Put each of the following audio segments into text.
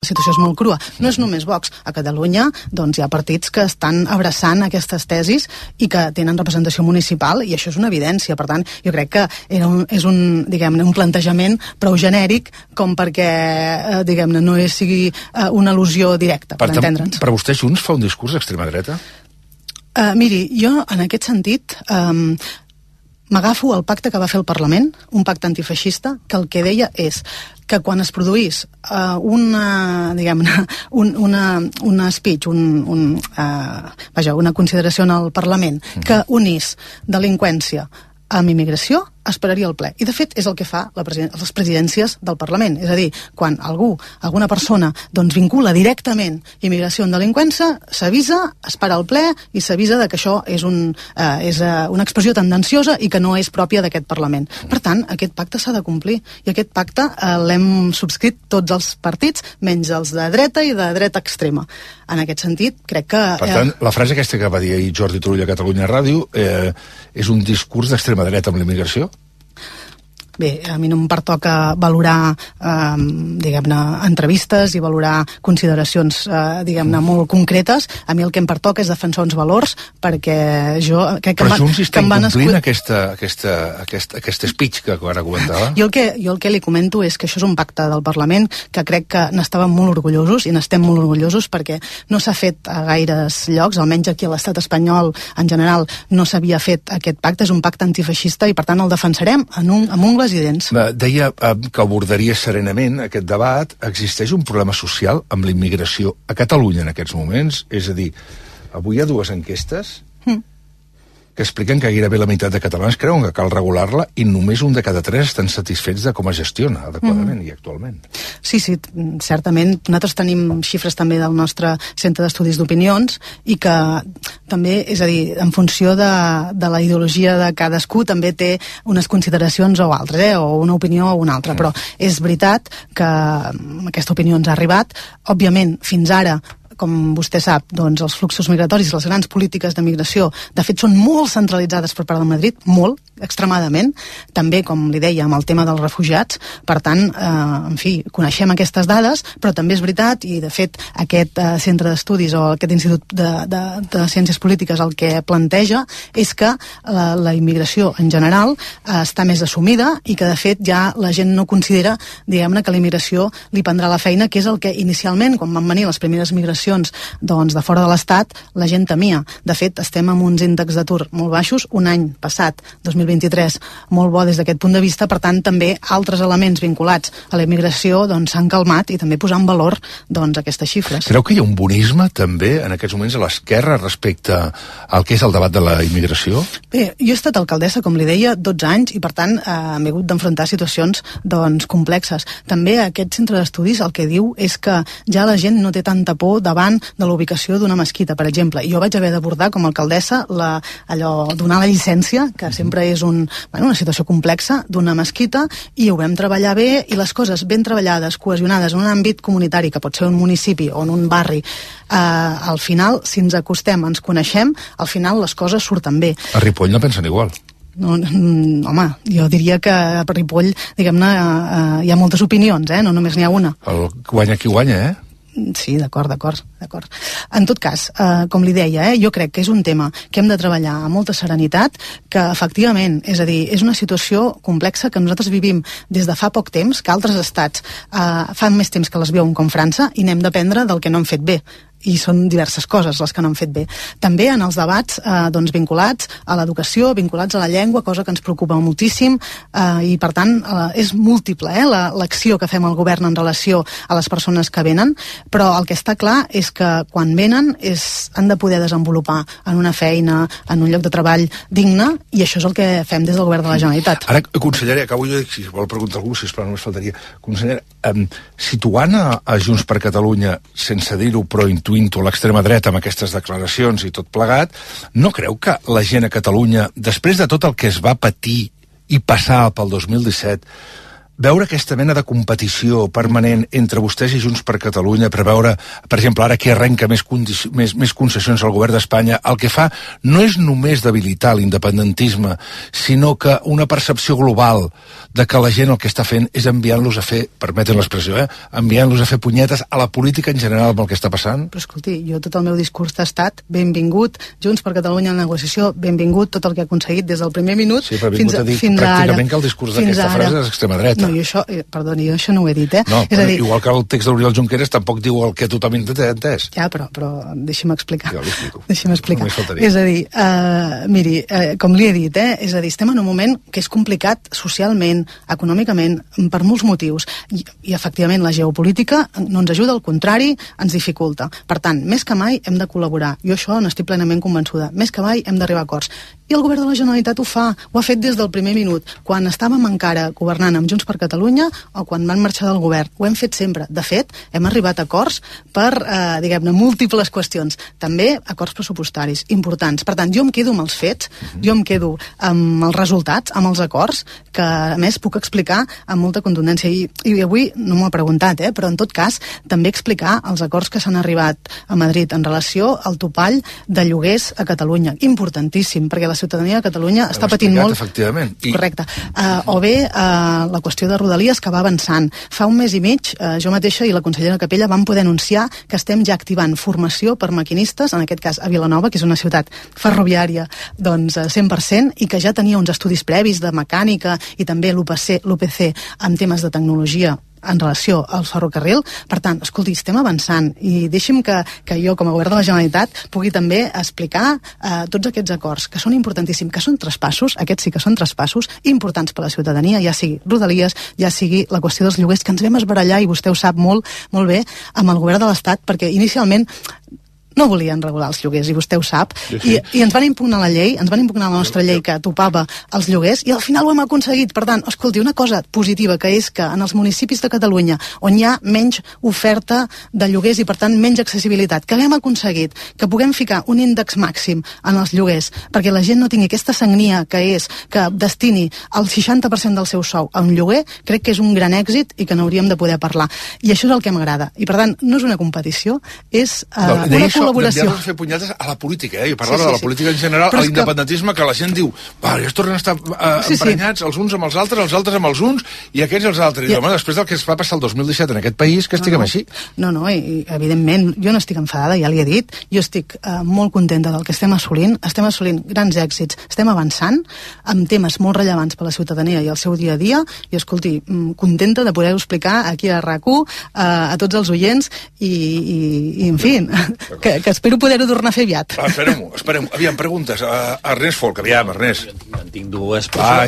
La situació és molt crua. No és només Vox. A Catalunya doncs, hi ha partits que estan abraçant aquestes tesis i que tenen representació municipal, i això és una evidència. Per tant, jo crec que és un plantejament prou genèric com perquè diguem-ne, no sigui una al·lusió directa, per entendre'ns. Per vostè Junts fa un discurs d'extrema dreta? Miri, jo en aquest sentit m'agafo al pacte que va fer el Parlament, un pacte antifeixista, que el que deia és que quan es produís una speech, una consideració en el Parlament que unís delinqüència amb immigració, esperaria el ple. I de fet és el que fa les presidències del Parlament. És a dir, quan alguna persona doncs, vincula directament immigració amb delinqüència, s'avisa, es para el ple i s'avisa que això és una expressió tendenciosa i que no és pròpia d'aquest Parlament. Per tant, aquest pacte s'ha de complir i aquest pacte l'hem subscrit tots els partits, menys els de dreta i de dreta extrema. En aquest sentit, crec que... Per tant, la frase aquesta que va dir ahir Jordi Turull a Catalunya Ràdio és un discurs d'extrema dreta amb la immigració? Bé, a mi no em pertoca valorar, diguem-ne, entrevistes i valorar consideracions, diguem-ne, molt concretes. A mi el que em pertoca és defensar uns valors, perquè jo... Però Junts està incomplint aquest speech que ara comentava? Jo el que li comento és que això és un pacte del Parlament que crec que n'estàvem molt orgullosos i n'estem molt orgullosos perquè no s'ha fet a gaires llocs, almenys aquí a l'estat espanyol en general no s'havia fet aquest pacte. És un pacte antifeixista i per tant el defensarem amb ungles i dents. Deia que abordaria serenament aquest debat. Existeix un problema social amb la immigració a Catalunya en aquests moments? És a dir, avui hi ha dues enquestes que expliquen que gairebé la meitat de catalans creuen que cal regular-la i només un de cada 3 estan satisfets de com es gestiona adequadament i actualment. Sí, certament. Nosaltres tenim xifres també del nostre centre d'estudis d'opinions i que també, és a dir, en funció de la ideologia de cadascú també té unes consideracions o altres, o una opinió o una altra, però és veritat que aquesta opinió ens ha arribat. Òbviament, fins ara com vostè sap, doncs els fluxos migratoris, les grans polítiques de migració, de fet són molt centralitzades per part de Madrid, molt, extremadament, també, com li deia, amb el tema dels refugiats. Per tant, en fi, coneixem aquestes dades, però també és veritat, i de fet aquest centre d'estudis o aquest institut de ciències polítiques el que planteja és que la immigració en general està més assumida i que de fet ja la gent no considera, diguem-ne, que la immigració li prendrà la feina, que és el que inicialment, quan van venir les primeres migracions doncs, de fora de l'Estat, la gent temia. De fet, estem amb uns índexs d'atur molt baixos, un any passat, 2023, molt bo des d'aquest punt de vista. Per tant, també altres elements vinculats a la immigració doncs, s'han calmat i també posar en valor doncs, aquestes xifres. Creu que hi ha un bonisme també en aquests moments a l'esquerra respecte al que és el debat de la immigració? Bé, jo he estat alcaldessa, com li deia, 12 anys i per tant m'he hagut d'enfrontar situacions doncs, complexes. També aquest centre d'estudis el que diu és que ja la gent no té tanta por davant de la ubicació d'una mesquita, per exemple. Jo vaig haver d'abordar com a alcaldessa donar la llicència, que sempre és una situació complexa, d'una mesquita, i ho vam treballar bé, i les coses ben treballades, cohesionades en un àmbit comunitari, que pot ser un municipi o en un barri, al final, si ens acostem, ens coneixem, al final les coses surten bé. A Ripoll no pensen igual. No, home, jo diria que a Ripoll, diguem-ne, hi ha moltes opinions, no només n'hi ha una. El guanya qui guanya, Sí, d'acord. En tot cas, com li deia, jo crec que és un tema que hem de treballar amb molta serenitat, que efectivament, és a dir, és una situació complexa que nosaltres vivim des de fa poc temps, que altres estats fa més temps que les viuen com França, i n'hem d'aprendre del que no han fet bé. I són diverses coses les que no han fet bé. També en els debats doncs, vinculats a l'educació, vinculats a la llengua, cosa que ens preocupa moltíssim, i per tant és múltiple l'acció que fem al govern en relació a les persones que venen, però el que està clar és que quan venen han de poder desenvolupar en una feina, en un lloc de treball digne, i això és el que fem des del govern de la Generalitat. Ara, consellera, acabo jo, si vol preguntar algú, sisplau, només faltaria. Consellera, situant a Junts per Catalunya, sense dir-ho, però intuint-ho, l'extrema dreta amb aquestes declaracions i tot plegat, no creu que la gent a Catalunya, després de tot el que es va patir i passar pel 2017, veure aquesta mena de competició permanent entre vostès i Junts per Catalunya per veure, per exemple, ara qui arrenca més concessions al govern d'Espanya, el que fa no és només debilitar l'independentisme, sinó que una percepció global de que la gent el que està fent és enviant-los a fer, permeten l'expressió, enviant-los a fer punyetes a la política en general amb el que està passant? Però escolti, jo tot el meu discurs ha estat benvingut, Junts per Catalunya en la negociació, benvingut tot el que ha aconseguit des del primer minut fins a ara. Pràcticament que el discurs d'aquesta frase és extrema dreta. No, jo això no ho he dit, No, és a dir, igual que el text d'Oriol Junqueras tampoc diu el que tothom ha entès. Ja, però deixi'm explicar. Jo l'explico. Deixi'm explicar. És a dir, miri, com li he dit, és a dir, estem en un moment que és complicat socialment, econòmicament, per molts motius. I efectivament, la geopolítica no ens ajuda, al contrari, ens dificulta. Per tant, més que mai hem de col·laborar. Jo això n'estic plenament convençuda. Més que mai hem d'arribar a acords. I el govern de la Generalitat ho ha fet des del primer minut, quan estàvem encara governant amb Junts per Catalunya o quan van marxar del govern. Ho hem fet sempre. De fet, hem arribat a acords per, diguem-ne, múltiples qüestions. També acords pressupostaris importants. Per tant, jo em quedo amb els fets, jo em quedo amb els resultats, amb els acords, que a més puc explicar amb molta contundència. I avui no m'ho ha preguntat, però en tot cas també explicar els acords que s'han arribat a Madrid en relació al topall de lloguers a Catalunya. Importantíssim, perquè la ciutadania de Catalunya està patint molt. Efectivament. Correcte. O bé la qüestió de Rodalies, que va avançant. Fa un mes i mig, jo mateixa i la consellera Capella vam poder anunciar que estem ja activant formació per maquinistes, en aquest cas a Vilanova, que és una ciutat ferroviària 100%, i que ja tenia uns estudis previs de mecànica i també l'UPC en temes de tecnologia en relació al ferrocarril. Per tant, escolti, estem avançant i deixi'm que jo, com a govern de la Generalitat, pugui també explicar tots aquests acords, que són importantíssims, que són traspassos, aquests sí que són traspassos importants per a la ciutadania, ja sigui Rodalies, ja sigui la qüestió dels lloguers, que ens vam esbarallar, i vostè ho sap molt bé, amb el govern de l'Estat, perquè inicialment no volien regular els lloguers, i vostè ho sap, sí. I ens van impugnar la llei, ens van impugnar la nostra llei que topava els lloguers, i al final ho hem aconseguit. Per tant, escolti, una cosa positiva, que és que en els municipis de Catalunya, on hi ha menys oferta de lloguers i per tant menys accessibilitat, que hem aconseguit que puguem ficar un índex màxim en els lloguers, perquè la gent no tingui aquesta sagnia que és que destini el 60% del seu sou a un lloguer, crec que és un gran èxit i que n'hauríem de poder parlar. I això és el que m'agrada. I per tant, no és una competició, és una col·laboració. D'enviar-nos a fer punyetes a la política, jo parlava de la política en general, a l'independentisme, que la gent diu, ja es tornen a estar emprenyats els uns amb els altres amb els uns, i aquests els altres. I home, després del que es va passar el 2017 en aquest país, que estiguem així. No, i evidentment, jo no estic enfadada, ja li he dit, jo estic molt contenta del que estem assolint grans èxits, estem avançant amb temes molt rellevants per a la ciutadania i el seu dia a dia, i escolti, contenta de poder-ho explicar aquí a RAC1, a tots els oients, i en fi, que espero poder-ho tornar a fer aviat. Esperem. Aviam, preguntes. Ernest Folk, aviam, Ernest. Jo en tinc dues, però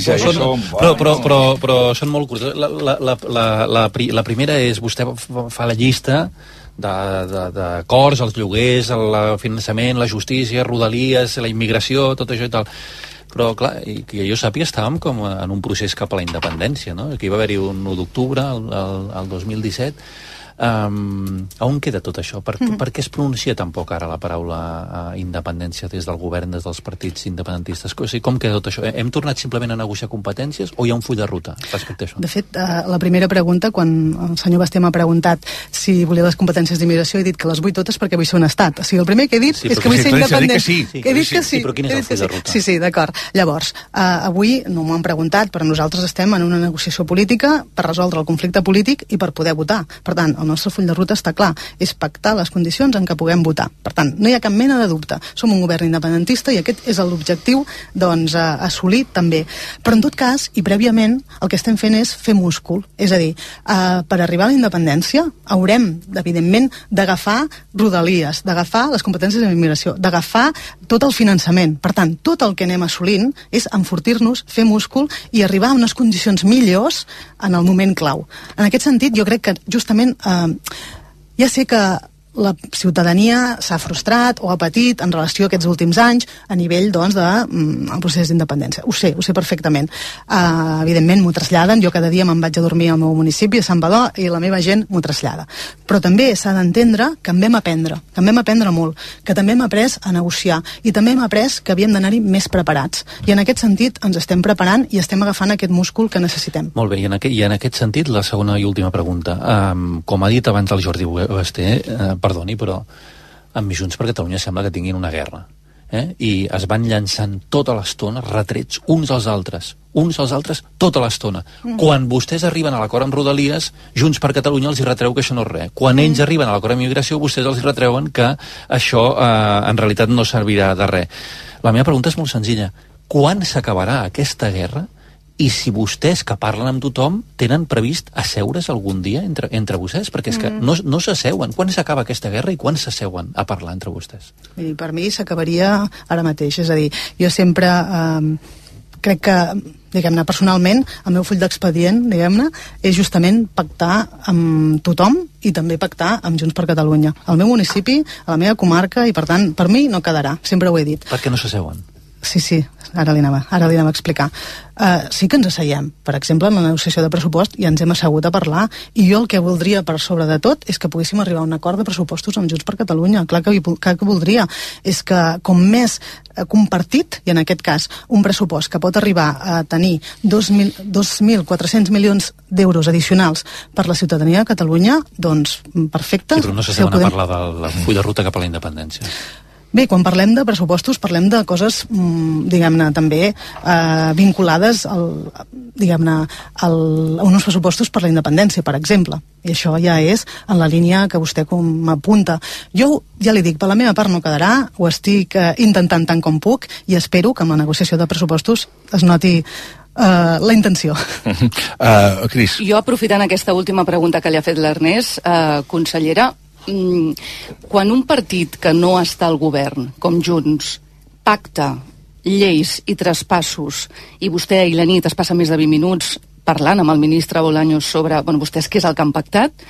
són molt curtes. La primera és, vostè fa la llista d'acords, els lloguers, el finançament, la justícia, Rodalies, la immigració, tot això i tal. Però, clar, que jo sàpiga, estàvem com en un procés cap a la independència, no? Aquí va haver-hi un 1 d'octubre, el 2017. On queda tot això? Per què es pronuncia tan poc ara la paraula independència des del govern, des dels partits independentistes? O sigui, com queda tot això? Hem tornat simplement a negociar competències o hi ha un full de ruta respecte a això? De fet, la primera pregunta, quan el senyor Basté m'ha preguntat si volia les competències d'immigració, he dit que les vull totes perquè vull ser un estat. O sigui, el primer que he dit és que vull ser independent. He dit que sí. Però quin és el full de ruta? Sí, d'acord. Llavors, avui no m'ho han preguntat, però nosaltres estem en una negociació política per resoldre el conflicte polític i per poder votar. Per tant, el nostre full de ruta està clar, és pactar les condicions en què puguem votar. Per tant, no hi ha cap mena de dubte. Som un govern independentista i aquest és l'objectiu, assolir també. Però en tot cas, i prèviament, el que estem fent és fer múscul. És a dir, per arribar a la independència haurem, evidentment, d'agafar Rodalies, d'agafar les competències d'immigració, d'agafar tot el finançament. Per tant, tot el que anem assolint és enfortir-nos, fer múscul i arribar a unes condicions millors en el moment clau. En aquest sentit, jo crec que justament ja sé que la ciutadania s'ha frustrat o ha patit en relació a aquests últims anys a nivell, doncs, del procés d'independència. Ho sé perfectament. Evidentment m'ho traslladen, jo cada dia me'n vaig a dormir al meu municipi, a Sant Badó, i la meva gent m'ho trasllada. Però també s'ha d'entendre que en vam aprendre molt, que també hem après a negociar, i també hem après que havíem d'anar-hi més preparats. I en aquest sentit ens estem preparant i estem agafant aquest múscul que necessitem. Molt bé, i en aquest sentit, la segona i última pregunta. Com ha dit abans el Jordi Basté, perdoni, però amb Junts per Catalunya sembla que tinguin una guerra. I es van llançant tota l'estona retrets uns als altres tota l'estona. Quan vostès arriben a l'acord amb Rodalies, Junts per Catalunya els hi retreu que això no és res. Quan ells arriben a l'acord amb immigració, vostès els hi retreuen que això en realitat no servirà de res. La meva pregunta és molt senzilla. Quan s'acabarà aquesta guerra? I si vostès, que parlen amb tothom, tenen previst asseure's algun dia entre vostès? Perquè és que no s'asseuen. Quan s'acaba aquesta guerra i quan s'asseuen a parlar entre vostès? Miri, per mi s'acabaria ara mateix. És a dir, jo sempre crec que, diguem-ne, personalment, el meu full d'expedient, diguem-ne, és justament pactar amb tothom i també pactar amb Junts per Catalunya. Al meu municipi, a la meva comarca, i per tant, per mi no quedarà. Sempre ho he dit. Per què no s'asseuen? Sí, ara li anava a explicar. Sí que ens asseiem. Per exemple, en la negociació de pressupost ja ens hem assegut a parlar, i jo el que voldria per sobre de tot és que poguéssim arribar a un acord de pressupostos amb Junts per Catalunya. Clar que voldria. És que com més compartit, i en aquest cas un pressupost que pot arribar a tenir 2.400 milions d'euros addicionals per la ciutadania de Catalunya, doncs perfecte. Sí, però no s'asseuen a parlar del full de ruta cap a la independència. Bé, quan parlem de pressupostos parlem de coses, diguem-ne, també vinculades a uns pressupostos per la independència, per exemple. I això ja és en la línia que vostè m'apunta. Jo ja li dic, per la meva part no quedarà, ho estic intentant tant com puc, i espero que amb la negociació de pressupostos es noti la intenció. Cris. Jo, aprofitant aquesta última pregunta que li ha fet l'Ernest, consellera, quan un partit que no està al govern, com Junts, pacta lleis i traspassos, i vostè i la nit es passa més de 20 minuts parlant amb el ministre Bolaños sobre, vostès què és el que han pactat,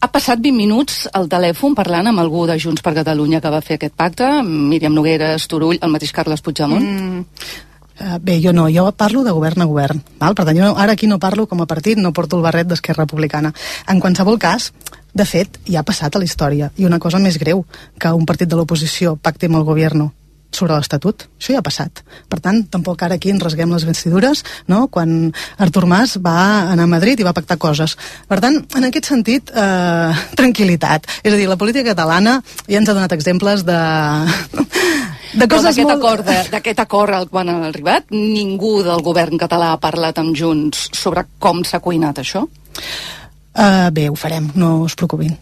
ha passat 20 minuts al telèfon parlant amb algú de Junts per Catalunya que va fer aquest pacte, Míriam Nogueras, Turull, el mateix Carles Puigdemont? Bé, jo no, jo parlo de govern a govern, val? Per tant, jo ara aquí no parlo com a partit, no porto el barret d'Esquerra Republicana. En qualsevol cas, de fet, ja ha passat a la història, i una cosa més greu, que un partit de l'oposició pacti amb el govern sobre l'Estatut, això ja ha passat. Per tant, tampoc ara aquí ens rasguem les vestidures, no?, quan Artur Mas va anar a Madrid i va pactar coses. Per tant, en aquest sentit, tranquil·litat. És a dir, la política catalana ja ens ha donat exemples de coses molt... D'aquest acord al qual han arribat, ningú del govern català ha parlat amb Junts sobre com s'ha cuinat això? Bé, ho farem, no us preocupin.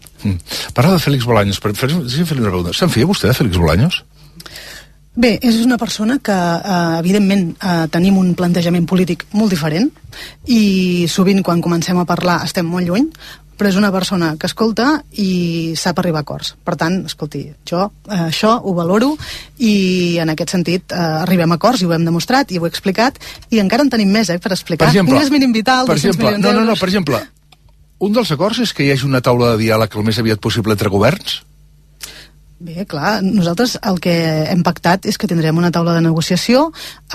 Parla de Félix Bolaños, deixa'm fer-li una pregunta. Se'n feia vostè de Félix Bolaños? Bé, és una persona que, evidentment, tenim un plantejament polític molt diferent, i sovint quan comencem a parlar estem molt lluny, però és una persona que escolta i sap arribar a acords. Per tant, escolti, jo això ho valoro, i en aquest sentit arribem a acords, i ho hem demostrat i ho he explicat, i encara en tenim més per explicar. Per exemple, un és mínim vital, 200 milions d'euros. Per exemple, un dels acords és que hi hagi una taula de diàleg el més aviat possible entre governs? Bé, clar, nosaltres el que hem pactat és que tindrem una taula de negociació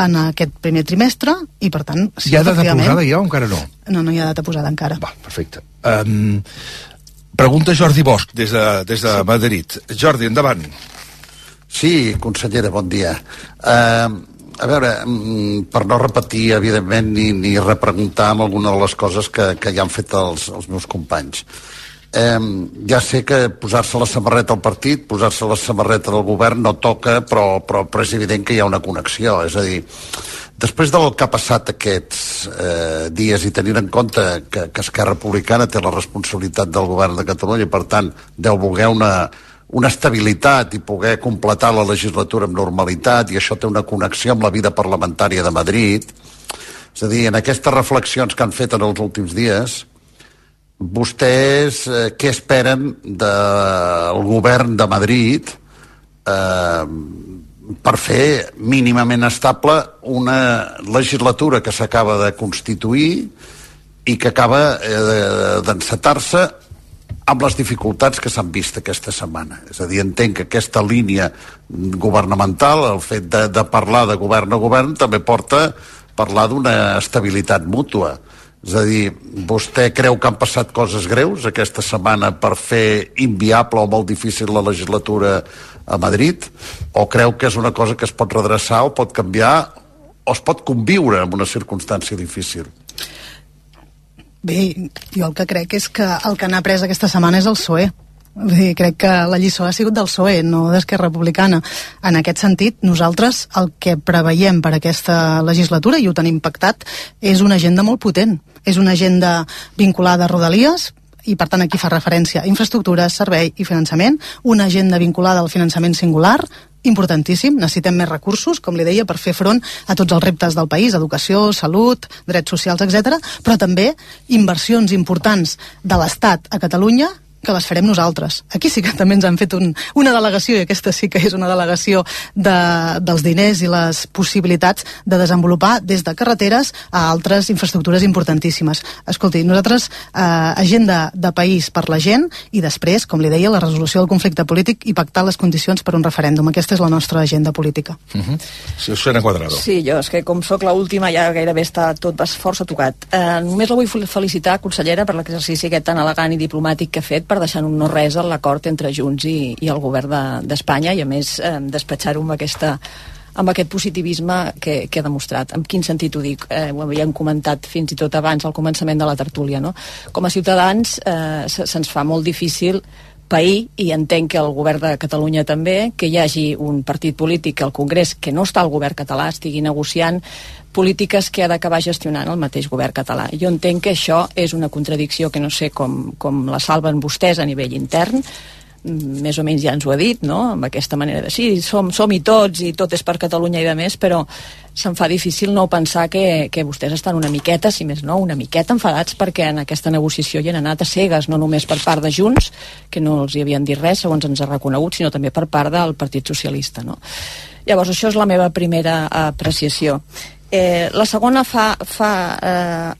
en aquest primer trimestre, i per tant... Sí, hi ha data posada ja o encara no? No hi ha data posada encara. Va, perfecte. Pregunta Jordi Bosch des de Madrid. Jordi, endavant. Sí, consellera, bon dia. A veure, per no repetir, evidentment, ni repreguntar amb alguna de les coses que ja han fet els meus companys. Ja sé que posar-se la samarreta al partit, posar-se la samarreta del govern no toca, però és evident que hi ha una connexió. És a dir, després del que ha passat aquests dies, i tenint en compte que Esquerra Republicana té la responsabilitat del govern de Catalunya i, per tant, deu voler una estabilitat i poder completar la legislatura amb normalitat, i això té una connexió amb la vida parlamentària de Madrid. És a dir, en aquestes reflexions que han fet en els últims dies, vostès què esperen del govern de Madrid per fer mínimament estable una legislatura que s'acaba de constituir i que acaba d'encetar-se amb les dificultats que s'han vist aquesta setmana. És a dir, entenc que aquesta línia governamental, el fet de parlar de govern a govern, també porta a parlar d'una estabilitat mútua. És a dir, vostè creu que han passat coses greus aquesta setmana per fer inviable o molt difícil la legislatura a Madrid? O creu que és una cosa que es pot redreçar o pot canviar o es pot conviure en una circumstància difícil? Bé, jo el que crec és que el que n'ha pres aquesta setmana és el PSOE. Vull dir, crec que la lliçó ha sigut del PSOE, no d'Esquerra Republicana. En aquest sentit, nosaltres el que preveiem per aquesta legislatura, i ho tenim pactat, és una agenda molt potent. És una agenda vinculada a Rodalies, i per tant aquí fa referència a infraestructures, servei i finançament, una agenda vinculada al finançament singular, importantíssim, necessitem més recursos, com li deia, per fer front a tots els reptes del país, educació, salut, drets socials, etc. Però també inversions importants de l'Estat a Catalunya que les farem nosaltres. Aquí sí que també ens han fet una delegació, i aquesta sí que és una delegació dels diners i les possibilitats de desenvolupar des de carreteres a altres infraestructures importantíssimes. Escolti, nosaltres agenda de país per la gent i després, com li deia, la resolució del conflicte polític i pactar les condicions per un referèndum. Aquesta és la nostra agenda política. Sí, Susana Cuadrado. Sí, jo és que com sóc l'última ja gairebé està tot força tocat. Només la vull felicitar, consellera, per l'exercici aquest tan elegant i diplomàtic que ha fet per deixar un no res a l'acord entre Junts i el govern d'Espanya i a més despatxar-ho amb aquest positivisme que ha demostrat. En quin sentit ho dic? Ho havíem comentat fins i tot abans al començament de la tertúlia, no? Com a ciutadans se'ns fa molt difícil pair, i entenc que el govern de Catalunya també, que hi hagi un partit polític al Congrés que no està al govern català, estigui negociant polítiques que ha d'acabar gestionant el mateix govern català. Jo entenc que això és una contradicció que no sé com la salven vostès a nivell intern, més o menys ja ens ho ha dit, no?, amb aquesta manera de sí, som-hi tots i tot és per Catalunya i de més, però se'm fa difícil no pensar que vostès estan una miqueta, si més no, una miqueta enfadats perquè en aquesta negociació hi han anat a cegues, no només per part de Junts, que no els hi havien dit res, segons ens ha reconegut, sinó també per part del Partit Socialista, no? Llavors, això és la meva primera apreciació. La segona fa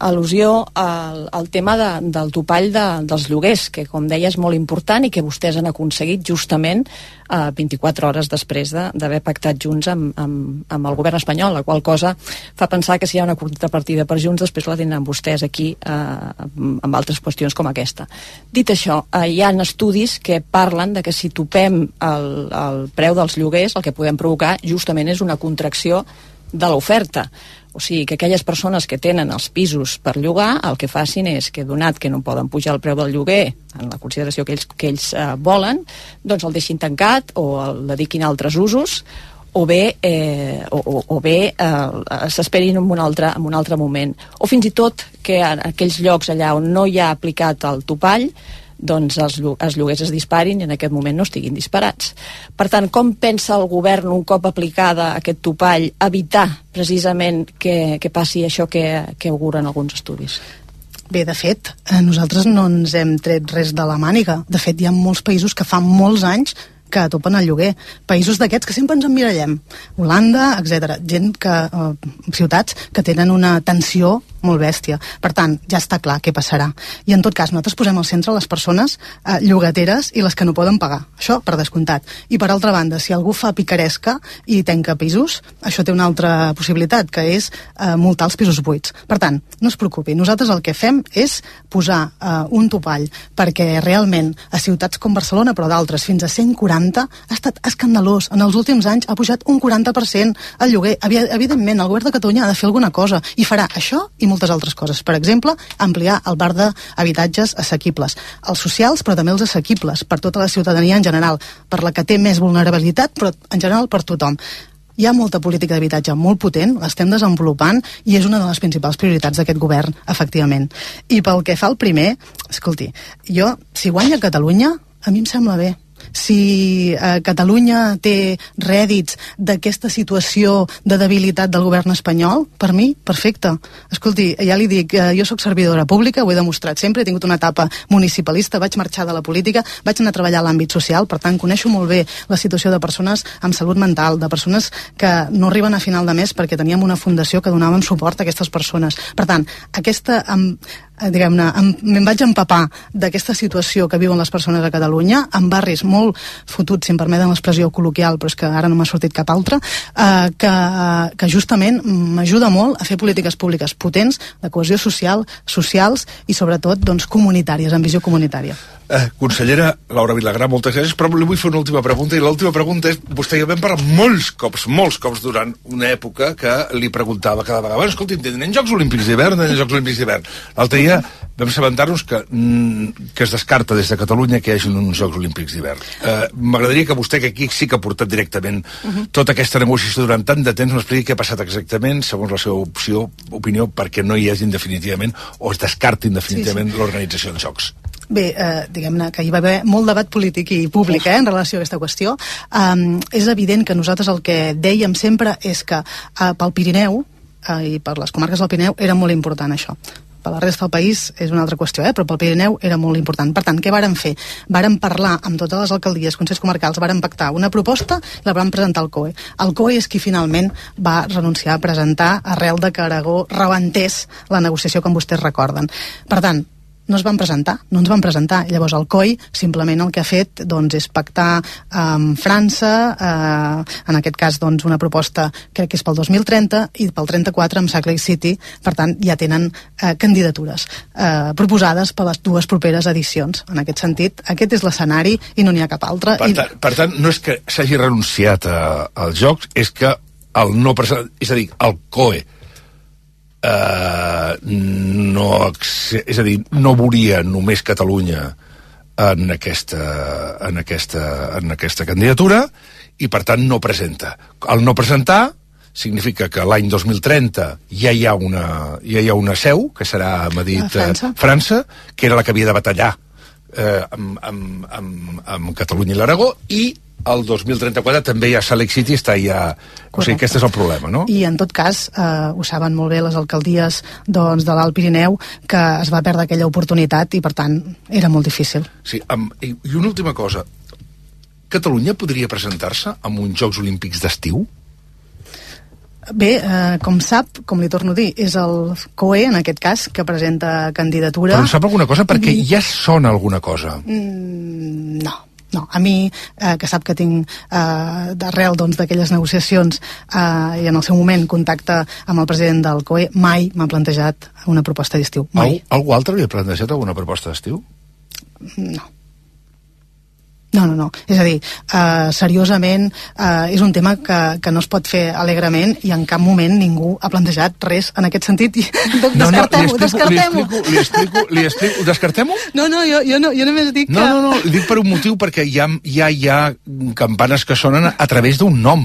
al·lusió al tema del topall dels lloguers, que com deia és molt important i que vostès han aconseguit justament 24 hores després d'haver pactat Junts amb el govern espanyol, la qual cosa fa pensar que si hi ha una contrapartida per Junts després la tindran vostès aquí amb altres qüestions com aquesta. Dit això, hi ha estudis que parlen de que si topem el preu dels lloguers el que podem provocar justament és una contracció de l'oferta. O sigui, que aquelles persones que tenen els pisos per llogar, el que facin és que, donat que no poden pujar el preu del lloguer en la consideració que ells volen, doncs el deixin tancat o el dediquin a altres usos, o bé s'esperin en un altre moment. O fins i tot que en aquells llocs allà on no hi ha aplicat el topall, doncs els lloguers es disparin i en aquest moment no estiguin disparats. Per tant, com pensa el govern, un cop aplicada aquest topall, evitar precisament que passi això que auguren alguns estudis? Bé, de fet, nosaltres no ens hem tret res de la màniga. De fet, hi ha molts països que fa molts anys que topen el lloguer. Països d'aquests que sempre ens emmirallem. Holanda, etc. Ciutats que tenen una tensió molt bèstia. Per tant, ja està clar què passarà. I en tot cas, nosaltres posem al centre les persones llogateres i les que no poden pagar. Això, per descomptat. I per altra banda, si algú fa picaresca i tanca pisos, això té una altra possibilitat, que és multar els pisos buits. Per tant, no es preocupi. Nosaltres el que fem és posar un topall perquè realment a ciutats com Barcelona, però d'altres, fins a 140, ha estat escandalós. En els últims anys ha pujat un 40% el lloguer. Evidentment, el govern de Catalunya ha de fer alguna cosa i farà això i moltes altres coses. Per exemple, ampliar el parc d'habitatges assequibles. Els socials, però també els assequibles, per tota la ciutadania en general, per la que té més vulnerabilitat, però en general per tothom. Hi ha molta política d'habitatge molt potent, l'estem desenvolupant i és una de les principals prioritats d'aquest govern, efectivament. I pel que fa al primer, escolti, si guanya Catalunya, a mi em sembla bé. Si Catalunya té rèdits d'aquesta situació de debilitat del govern espanyol, per mi, perfecte. Escolti, ja li dic, jo sóc servidora pública, ho he demostrat sempre, he tingut una etapa municipalista, vaig marxar de la política, vaig anar a treballar a l'àmbit social, per tant, coneixo molt bé la situació de persones amb salut mental, de persones que no arriben a final de mes perquè teníem una fundació que donàvem suport a aquestes persones. Per tant, diguem-ne, me'n vaig empapar d'aquesta situació que viuen les persones a Catalunya, en barris molt fotuts, si em permeten l'expressió col·loquial, però és que ara no m'ha sortit cap altre, que justament m'ajuda molt a fer polítiques públiques potents, de cohesió social, socials i sobretot doncs, comunitàries, amb visió comunitària. Consellera Laura Vilagrà, moltes gràcies, però li vull fer una última pregunta, i l'última pregunta és, vostè i jo vam parlar molts cops durant una època que li preguntava cada vegada, bueno, escolti'm, tenen Jocs Olímpics d'hivern, l'altre dia vam assabentar-nos que es descarta des de Catalunya que hi hagi uns Jocs Olímpics d'hivern. M'agradaria que vostè, que aquí sí que ha portat directament tota aquesta negociació durant tant de temps, m'expliqui què ha passat exactament, segons la seva opinió, perquè no hi hagin definitivament, o es descartin definitivament l'organització dels Jocs. Bé, diguem-ne que hi va haver molt debat polític i públic en relació a aquesta qüestió. És evident que nosaltres el que dèiem sempre és que pel Pirineu i per les comarques del Pirineu era molt important això. Per la resta del país és una altra qüestió, però pel Pirineu era molt important. Per tant, què vàrem fer? Vàrem parlar amb totes les alcaldies, consells comarcals, vàrem pactar una proposta i la vam presentar al COE. El COE és qui finalment va renunciar a presentar arrel de que Aragó rebentés la negociació, com vostès recorden. Per tant, no ens van presentar. Llavors el COI simplement el que ha fet doncs, és pactar amb França, en aquest cas doncs, una proposta crec que és pel 2030 i pel 34 amb Salt Lake City, per tant ja tenen candidatures proposades per les dues properes edicions. En aquest sentit, aquest és l'escenari i no n'hi ha cap altre. Per tant, no és que s'hagi renunciat als Jocs, és que és a dir, el COE no veuria només Catalunya en aquesta candidatura i per tant no presenta. Al no presentar significa que l'any 2030 ja hi ha una seu que serà a Madrid, França, que era la que havia de batallar amb Catalunya i l'Aragó, i el 2034 també ja Salt Lake City està ja... O sigui, aquest és el problema, no? I en tot cas, ho saben molt bé les alcaldies doncs, de l'Alt Pirineu, que es va perdre aquella oportunitat i, per tant, era molt difícil. Sí, i una última cosa. Catalunya podria presentar-se amb uns Jocs Olímpics d'estiu? Bé, com sap, com li torno a dir, és el COE, en aquest cas, que presenta candidatura... Però en sap alguna cosa? Perquè ja sona alguna cosa. No, a mi, que sap que tinc d'arrel d'aquelles negociacions i en el seu moment contacte amb el president del COE, mai m'ha plantejat una proposta d'estiu. Mai. Algú altre li ha plantejat alguna proposta d'estiu? No. És a dir, seriosament, és un tema que no es pot fer alegrement i en cap moment ningú ha plantejat res en aquest sentit. Descartem-ho. Li explico. Descartem-ho? No, jo només dic que... No, li dic per un motiu, perquè ja hi ha campanes que sonen a través d'un nom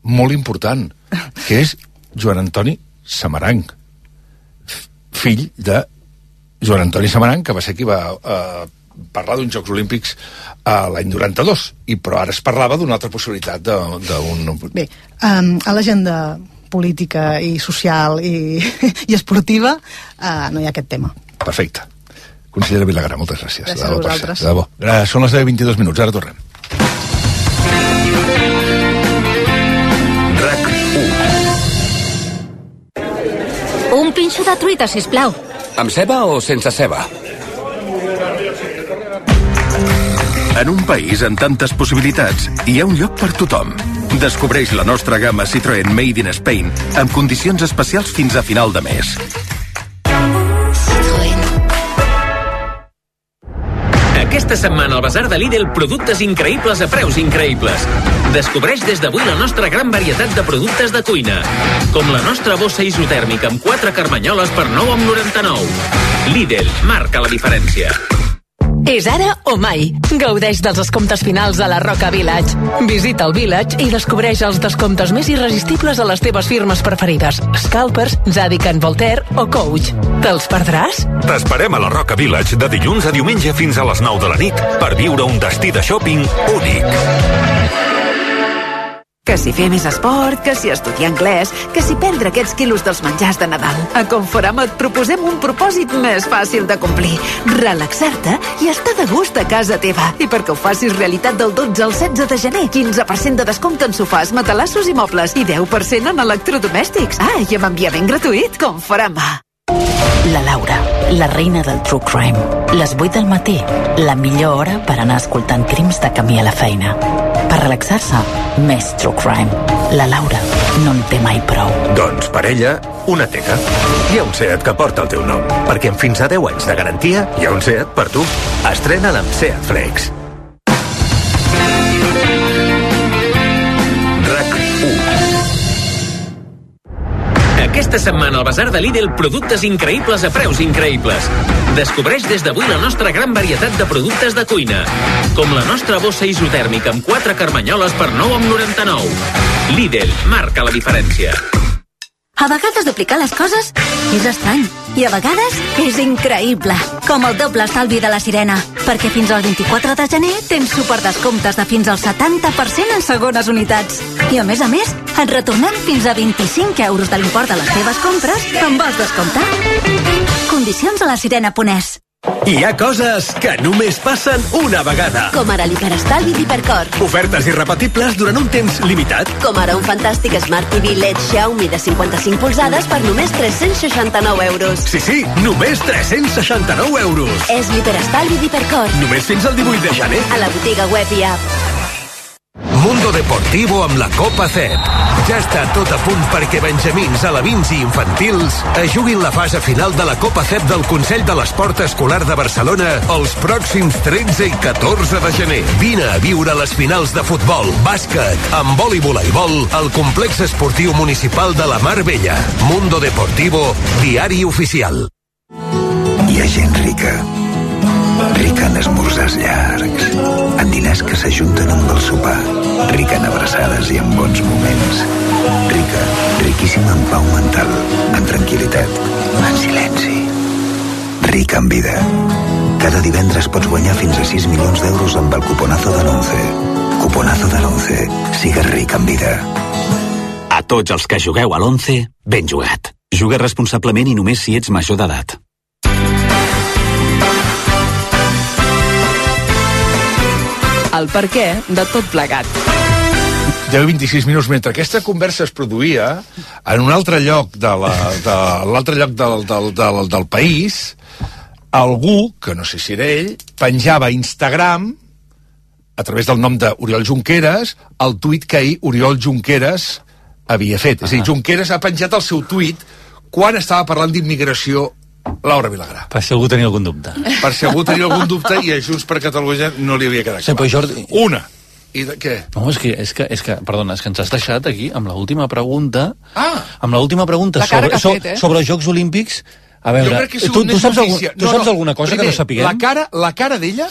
molt important, que és Joan Antoni Samaranch, fill de Joan Antoni Samaranch, que va ser qui va parlar d'uns Jocs Olímpics l'any 92, però ara es parlava d'una altra possibilitat d'un... Bé, a l'agenda política i social i esportiva no hi ha aquest tema. Perfecte. Consellera Vilagrà, moltes gràcies. Gràcies a vosaltres. De debò. Són les 10:22 minuts, ara tornem. RAC1. Un pinxo de truita, sisplau. Amb ceba o sense ceba? En un país amb tantes possibilitats, hi ha un lloc per tothom. Descobreix la nostra gamma Citroën Made in Spain amb condicions especials fins a final de mes. Citroën. Aquesta setmana al Basar de Lidl, productes increïbles a preus increïbles. Descobreix des d'avui la nostra gran varietat de productes de cuina, com la nostra bossa isotèrmica amb 4 carmanyoles per 9,99. Lidl, marca la diferència. És ara o mai. Gaudeix dels descomptes finals a la Roca Village. Visita el Village i descobreix els descomptes més irresistibles a les teves firmes preferides. Scalpers, Zadig & Voltaire o Coach. Te'ls perdràs? T'esperem a la Roca Village de dilluns a diumenge fins a les 9 de la nit per viure un destí de shopping únic. Que si fer més esport, que si estudiar anglès, que si perdre aquests quilos dels menjars de Nadal. A Conforama et proposem un propòsit més fàcil de complir. Relaxar-te i estar de gust a casa teva. I perquè ho facis realitat del 12 al 16 de gener, 15% de descompte en sofàs, matalassos i mobles i 10% en electrodomèstics. Ah, i amb enviament gratuït. Conforama. La Laura. la reina del true crime. Les 8 del matí, la millor hora per anar escoltant crims de camí a la feina. Per relaxar-se, més true crime. La Laura no en té mai prou. Doncs per ella, una teca. Hi ha un SEAT que porta el teu nom, perquè amb fins a 10 anys de garantia hi ha un SEAT per tu. Estrena'l amb SEAT Flex. Aquesta setmana al Basar de Lidl, productes increïbles a preus increïbles. Descobreix des d'avui la nostra gran varietat de productes de cuina, com la nostra bossa isotèrmica amb 4 carmanyoles per 9,99. Lidl marca la diferència. A vegades duplicar les coses és estrany i a vegades és increïble. Com el doble estalvi de la Sirena, perquè fins al 24 de gener tens superdescomptes de fins al 70% en segones unitats. I a més, et retornem fins a 25 euros de l'import de les teves compres que en vols descomptar. Condicions a lasirena.es. Hi ha coses que només passen una vegada. Com ara l'hiperestalvi d'Hipercor. Ofertes irrepetibles durant un temps limitat. Com ara un fantàstic Smart TV LED Xiaomi de 55 polzades per només 369 euros. Sí, només 369 euros. És l'hiperestalvi d'Hipercor. Només fins al 18 de gener. A la botiga web i app. Mundo Deportivo amb la Copa CEP. Ja està tot a punt perquè benjamins, alevins i infantils es juguin la fase final de la Copa CEP del Consell de l'Esport Escolar de Barcelona els pròxims 13 i 14 de gener. Vine a viure les finals de futbol, bàsquet, handbol i voleibol al complex esportiu municipal de la Mar Bella. Mundo Deportivo, diari oficial. Hi ha gent rica en esmorzars llargs, en diners que s'ajunten amb el sopar, rica en abraçades i en bons moments, riquíssima en pau mental, en tranquil·litat, en silenci, rica en vida. Cada divendres pots guanyar fins a 6 milions d'euros amb el cuponazo de l'11. Cuponazo de l'11. Sigues ric en vida. A tots els que jugueu a l'11, ben jugat. Juga responsablement i només si ets major d'edat. El perquè de tot plegat. 10-26 minuts. Mentre aquesta conversa es produïa, en un altre lloc del país, algú, que no sé si era ell, penjava a Instagram, a través del nom d'Oriol Junqueras, el tuit que ahir Oriol Junqueras havia fet. És a dir, Junqueras ha penjat el seu tuit quan estava parlant d'immigració Laura Vilagrà. Per si algú tenia algun dubte. Per si algú tenia algun dubte i a Junts per Catalunya no li havia quedat clar. Sí, Jordi... Una. I de què? No, és que, perdona, és que ens has deixat aquí amb l'última pregunta. Amb l'última pregunta sobre els Jocs Olímpics. A veure, tu saps alguna cosa que no sapiguem? La cara d'ella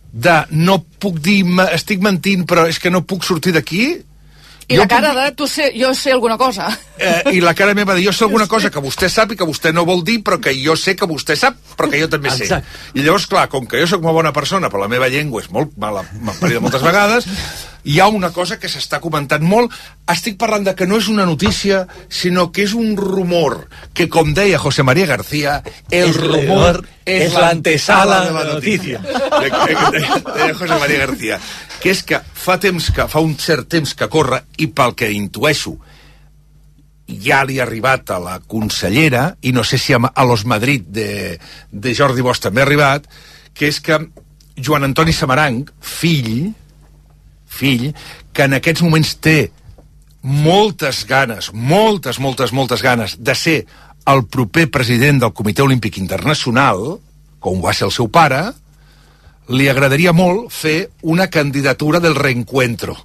de no puc dir, estic mentint, però és que no puc sortir d'aquí. I la cara de jo sé alguna cosa. I la cara meva de jo sé alguna cosa que vostè sap i que vostè no vol dir, però que jo sé que vostè sap, però que jo també sé. I llavors, clar, com que jo sóc una bona persona, però la meva llengua és molt mala, m'ha parit moltes vegades, hi ha una cosa que s'està comentant molt. Estic parlant de que no és una notícia, sinó que és un rumor, que com deia José María García, el rumor és l'antesala de la notícia. Deia José María García. Que és que fa un cert temps que corre, i pel que intueixo ja li ha arribat a la consellera, i no sé si a Los Madrid de Jordi Bosch també ha arribat, que és que Joan Antoni Samaranch, fill, que en aquests moments té moltes ganes de ser el proper president del Comitè Olímpic Internacional, com va ser el seu pare, li agradaria molt fer una candidatura del reencuentro.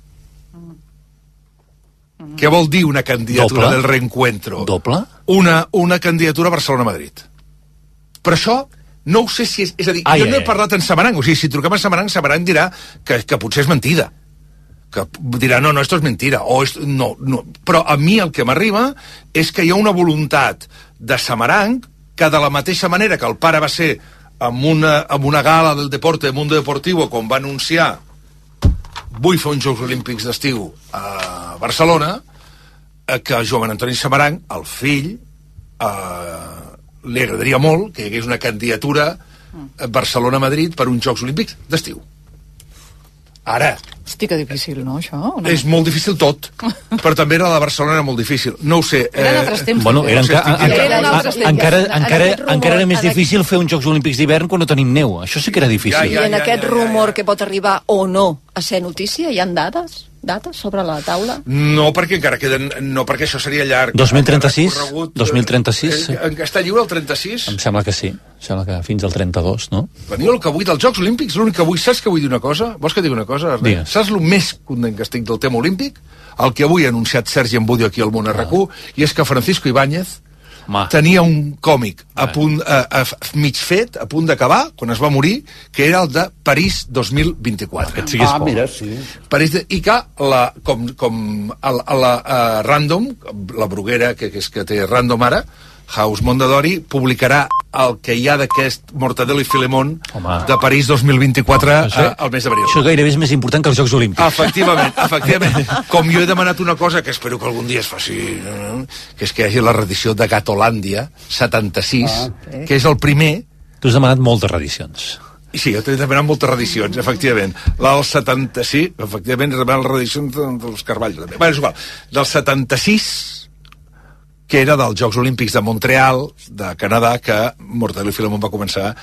Què vol dir una candidatura del reencuentro? Doble? Una candidatura a Barcelona-Madrid. Però això no ho sé si és... És a dir, jo no he parlat en Samaranch. O sigui, si truquem a Samaranch dirà que potser és mentida. Que dirà, no, esto és mentira. No. Però a mi el que m'arriba és que hi ha una voluntat de Samaranch que de la mateixa manera que el pare va ser amb una gala del deporte, del Mundo Deportivo, quan va anunciar vull fer uns Jocs Olímpics d'estiu a Barcelona, que Joan Antoni Samaranch, el fill, li agradaria molt que hi hagués una candidatura a Barcelona-Madrid per uns Jocs Olímpics d'estiu. Ara, Hosti, que difícil, no, això? No? És molt difícil tot, però també era la de Barcelona molt difícil. No ho sé. Eren altres temps. Bueno, encara era més difícil fer uns Jocs Olímpics d'hivern quan no tenim neu. Això sí que era difícil. I en aquest rumor que pot arribar o no a ser notícia, hi ha dates sobre la taula? No, perquè encara queden... No, perquè això seria llarg. 2036? 2036? Està lliure el 36? Em sembla que sí. Em sembla que fins al 32, no? Veniu el que vull dels Jocs Olímpics, l'únic que vull... Saps que vull dir una cosa? Vols que digui una cosa? Digues. Saps el més content que estic del tema olímpic? El que avui ha anunciat Sergi Embudio aquí al Món RQ, i és que Francisco Ibáñez tenia un còmic mig fet, a punt d'acabar, quan es va morir, que era el de París 2024. Mira, sí. I que la Random, la bloguera que té Random ara, House Mondadori, publicarà el que hi ha d'aquest Mortadelo i Filemón de París 2024 al mes d'abril. Això gairebé és més important que els Jocs Olímpics. Efectivament. Com jo he demanat una cosa que espero que algun dia es faci, que és que hi hagi la reedició de Gatolàndia 76, que és el primer... Tu has demanat moltes reedicions. Sí, jo t'he demanat moltes reedicions, efectivament. Del 76, efectivament, he demanat les reedicions dels Carvalho. Bé, és igual. Del 76... que era dels Jocs Olímpics de Montreal, de Canadà, que Mortadelo i Filemón va començar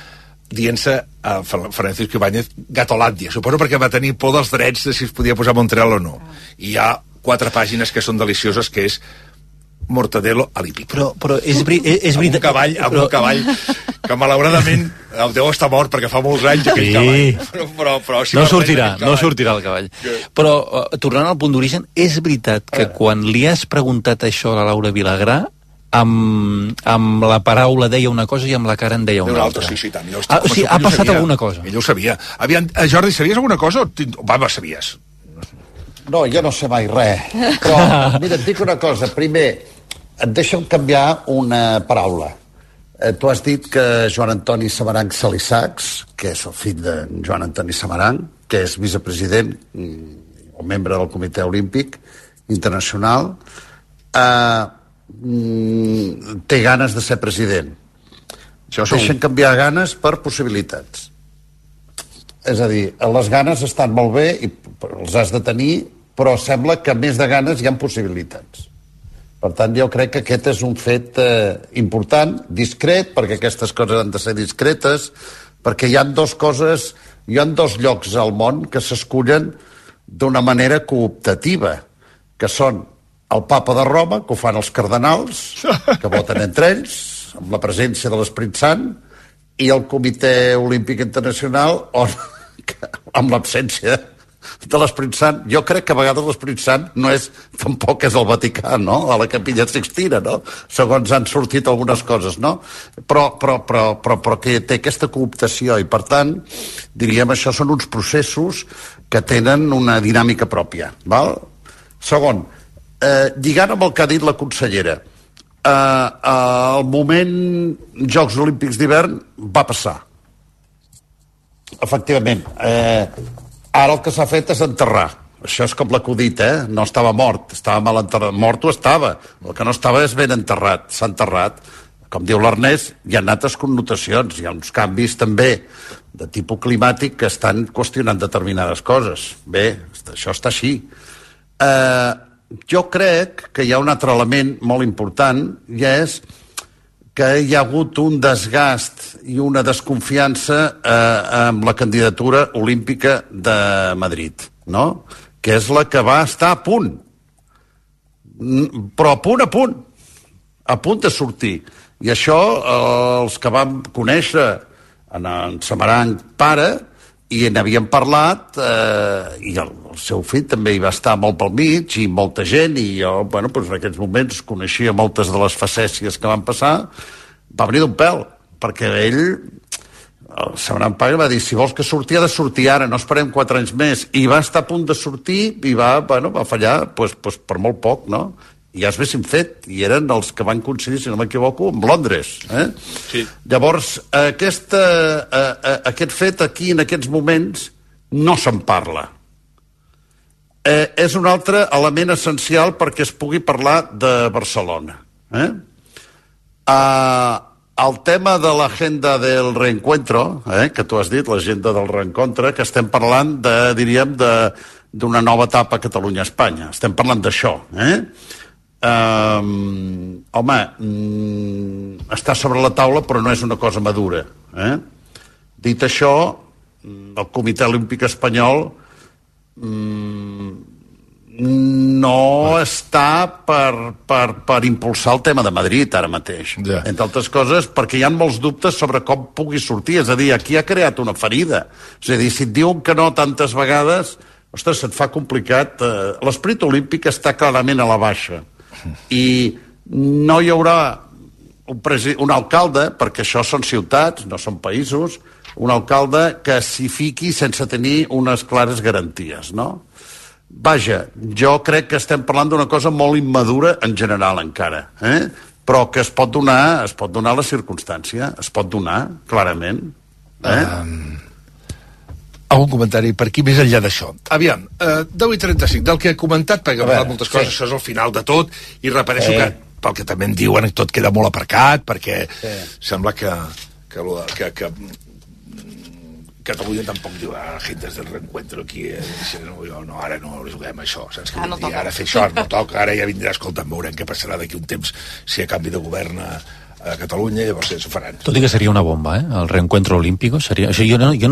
dient-se a Francisco Ibáñez Gatolàndia. Suposo perquè va tenir por dels drets de si es podia posar Montreal o no. I hi ha 4 pàgines que són delicioses, que és Mortadelo a l'hípic. Però és veritat... Amb un cavall que malauradament deu estar mort perquè fa molts anys aquell cavall. Però no sortirà el cavall. Però, tornant al punt d'origen, és veritat que quan li has preguntat això a la Laura Vilagrà, amb la paraula deia una cosa i amb la cara en deia una altra. Sí, tant. O sigui, ha passat alguna cosa. Ella ho sabia. Jordi, sabies alguna cosa? Va, sabies. No, jo no sé mai res. Però, mira, et dic una cosa. Primer, et deixa'm canviar una paraula. Tu has dit que Joan Antoni Samaranch Salisachs, que és el fill de Joan Antoni Samaranch, que és vicepresident o membre del Comitè Olímpic Internacional, té ganes de ser president. Deixen canviar ganes per possibilitats. És a dir, les ganes estan molt bé i els has de tenir, però sembla que més de ganes hi ha possibilitats. Per tant, jo crec que aquest és un fet important, discret, perquè aquestes coses han de ser discretes, perquè hi ha dos llocs al món que s'escullen d'una manera cooptativa, que són el Papa de Roma, que ho fan els cardenals, que voten entre ells, amb la presència de l'Esperit Sant, i el Comitè Olímpic Internacional, on, amb l'absència de l'Esperit Sant. Jo crec que a vegades l'Esperit Sant tampoc és el Vaticà, no? A la Capella Sixtina, no? Segons han sortit algunes coses, no? Però que té aquesta cooptació i, per tant, diríem, això són uns processos que tenen una dinàmica pròpia, val? Segon, lligant amb el que ha dit la consellera, el moment Jocs Olímpics d'hivern va passar. Efectivament, ara el que s'ha fet és enterrar. Això és com l'acudit, No estava mort, estava mal enterrat. Mort ho estava. El que no estava és ben enterrat. S'ha enterrat. Com diu l'Ernest, hi ha altres connotacions. Hi ha uns canvis també de tipus climàtic que estan qüestionant determinades coses. Bé, això està així. Jo crec que hi ha un altre element molt important, i és que hi ha hagut un desgast i una desconfiança amb la candidatura olímpica de Madrid, no? Que és la que va estar a punt. Però a punt de sortir. I això, els que vam conèixer en Samaranch pare, i n'havíem parlat, i el seu fill també hi va estar molt pel mig, i molta gent, i jo, bueno, doncs en aquells moments coneixia moltes de les facècies que van passar, va venir d'un pèl, perquè ell, el Samaranch pare va dir, si vols que surti, ha de sortir ara, no esperem 4 anys més, i va estar a punt de sortir, i va fallar, doncs per molt poc, no? I ja es haguessin fet, i eren els que van coincidir, si no m'equivoco, amb Londres. Sí. Llavors, aquest fet aquí, en aquests moments, no se'n parla. És un altre element essencial perquè es pugui parlar de Barcelona. El tema de l'agenda del reencuentro, que tu has dit, l'agenda del reencontre, que estem parlant de, diríem, d'una nova etapa a Catalunya-Espanya. Estem parlant d'això, home, està sobre la taula però no és una cosa madura. Dit això, el Comitè Olímpic Espanyol no està per impulsar el tema de Madrid ara mateix, entre altres coses perquè hi ha molts dubtes sobre com pugui sortir, és a dir, aquí ha creat una ferida, és a dir, si et diuen que no tantes vegades, ostres, se't fa complicat. L'esperit olímpic està clarament a la baixa i no hi haurà un alcalde, perquè això són ciutats, no són països, un alcalde que s'hi fiqui sense tenir unes clares garanties, no? Vaja, jo crec que estem parlant d'una cosa molt immadura en general encara, però que es pot donar la circumstància, es pot donar, clarament. Algun comentari per aquí més enllà d'això? Aviam, 10:35, del que he comentat, perquè he parlat moltes coses, això és el final de tot, i repeteixo que, pel que també em diuen, tot queda molt aparcat, perquè sembla que Catalunya tampoc diu agentes del reencuentro aquí, no, ara no juguem això, saps què vull dir? Ara fer això, no toca, ara ja vindrà, escolta'm, veurem què passarà d'aquí un temps si hi ha canvi de govern a Catalunya, llavors s'ho faran. Tot i que seria una bomba, el reencuentro olímpico seria... Jo no dic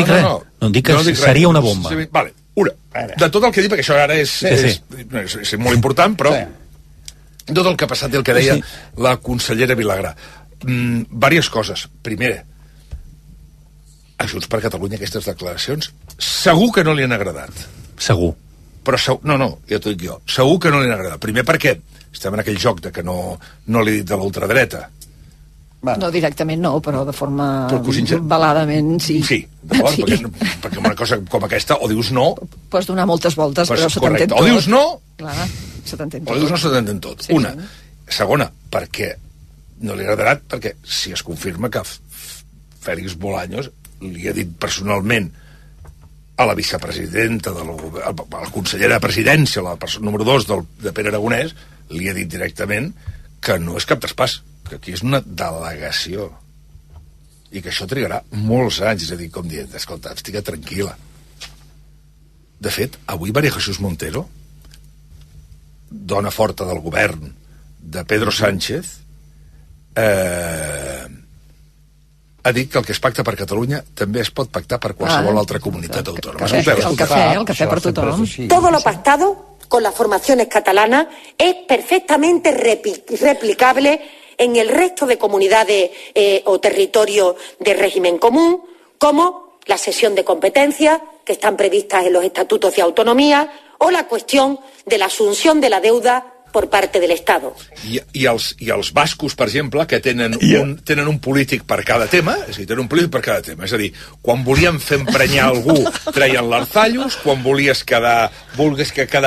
res, no dic que seria una bomba. Vale, una, de tot el que he dit, perquè això ara és molt important, però tot el que ha passat i el que deia la consellera Vilagrà. Diverses coses. Primer, a Junts per Catalunya aquestes declaracions segur que no li han agradat. Segur. Però no, ja t'ho dic jo. Segur que no li han agradat. Primer perquè estem en aquell joc de que no l'he dit de l'ultradreta. No directament no, però de forma veladament sí. Sí, d'acord, perquè una cosa com aquesta o dius no... Pots donar moltes voltes, però se t'entén tot. O dius no... Clar, se t'entén tot. O dius no, se t'entén tot. Una. Segona, perquè no li ha agradat, perquè si es confirma que Félix Bolaños li ha dit personalment a la vicepresidenta, a la consellera de presidència, la persona número 2 de Pere Aragonès, li ha dit directament que no és cap traspàs, que aquí és una delegació i que això trigarà molts anys, és a dir, com dient, escolta, estic tranquil·la. De fet, avui María Jesús Montero, dona forta del govern de Pedro Sánchez, ha dit que el que es pacta per Catalunya també es pot pactar per qualsevol altra comunitat autònoma. El café per tothom. Todo lo pactado con las formaciones catalanas es perfectamente replicable en el resto de comunidades o territorios de régimen común, como la cesión de competencias que están previstas en los estatutos de autonomía o la cuestión de la asunción de la deuda por parte del Estado. I els bascos, per exemple, que tenen un polític per cada tema, és a dir, tenen un polític per cada tema, és a dir, quan volien fer emprenyar algú treien l'Arzallus, quan vulguis quedar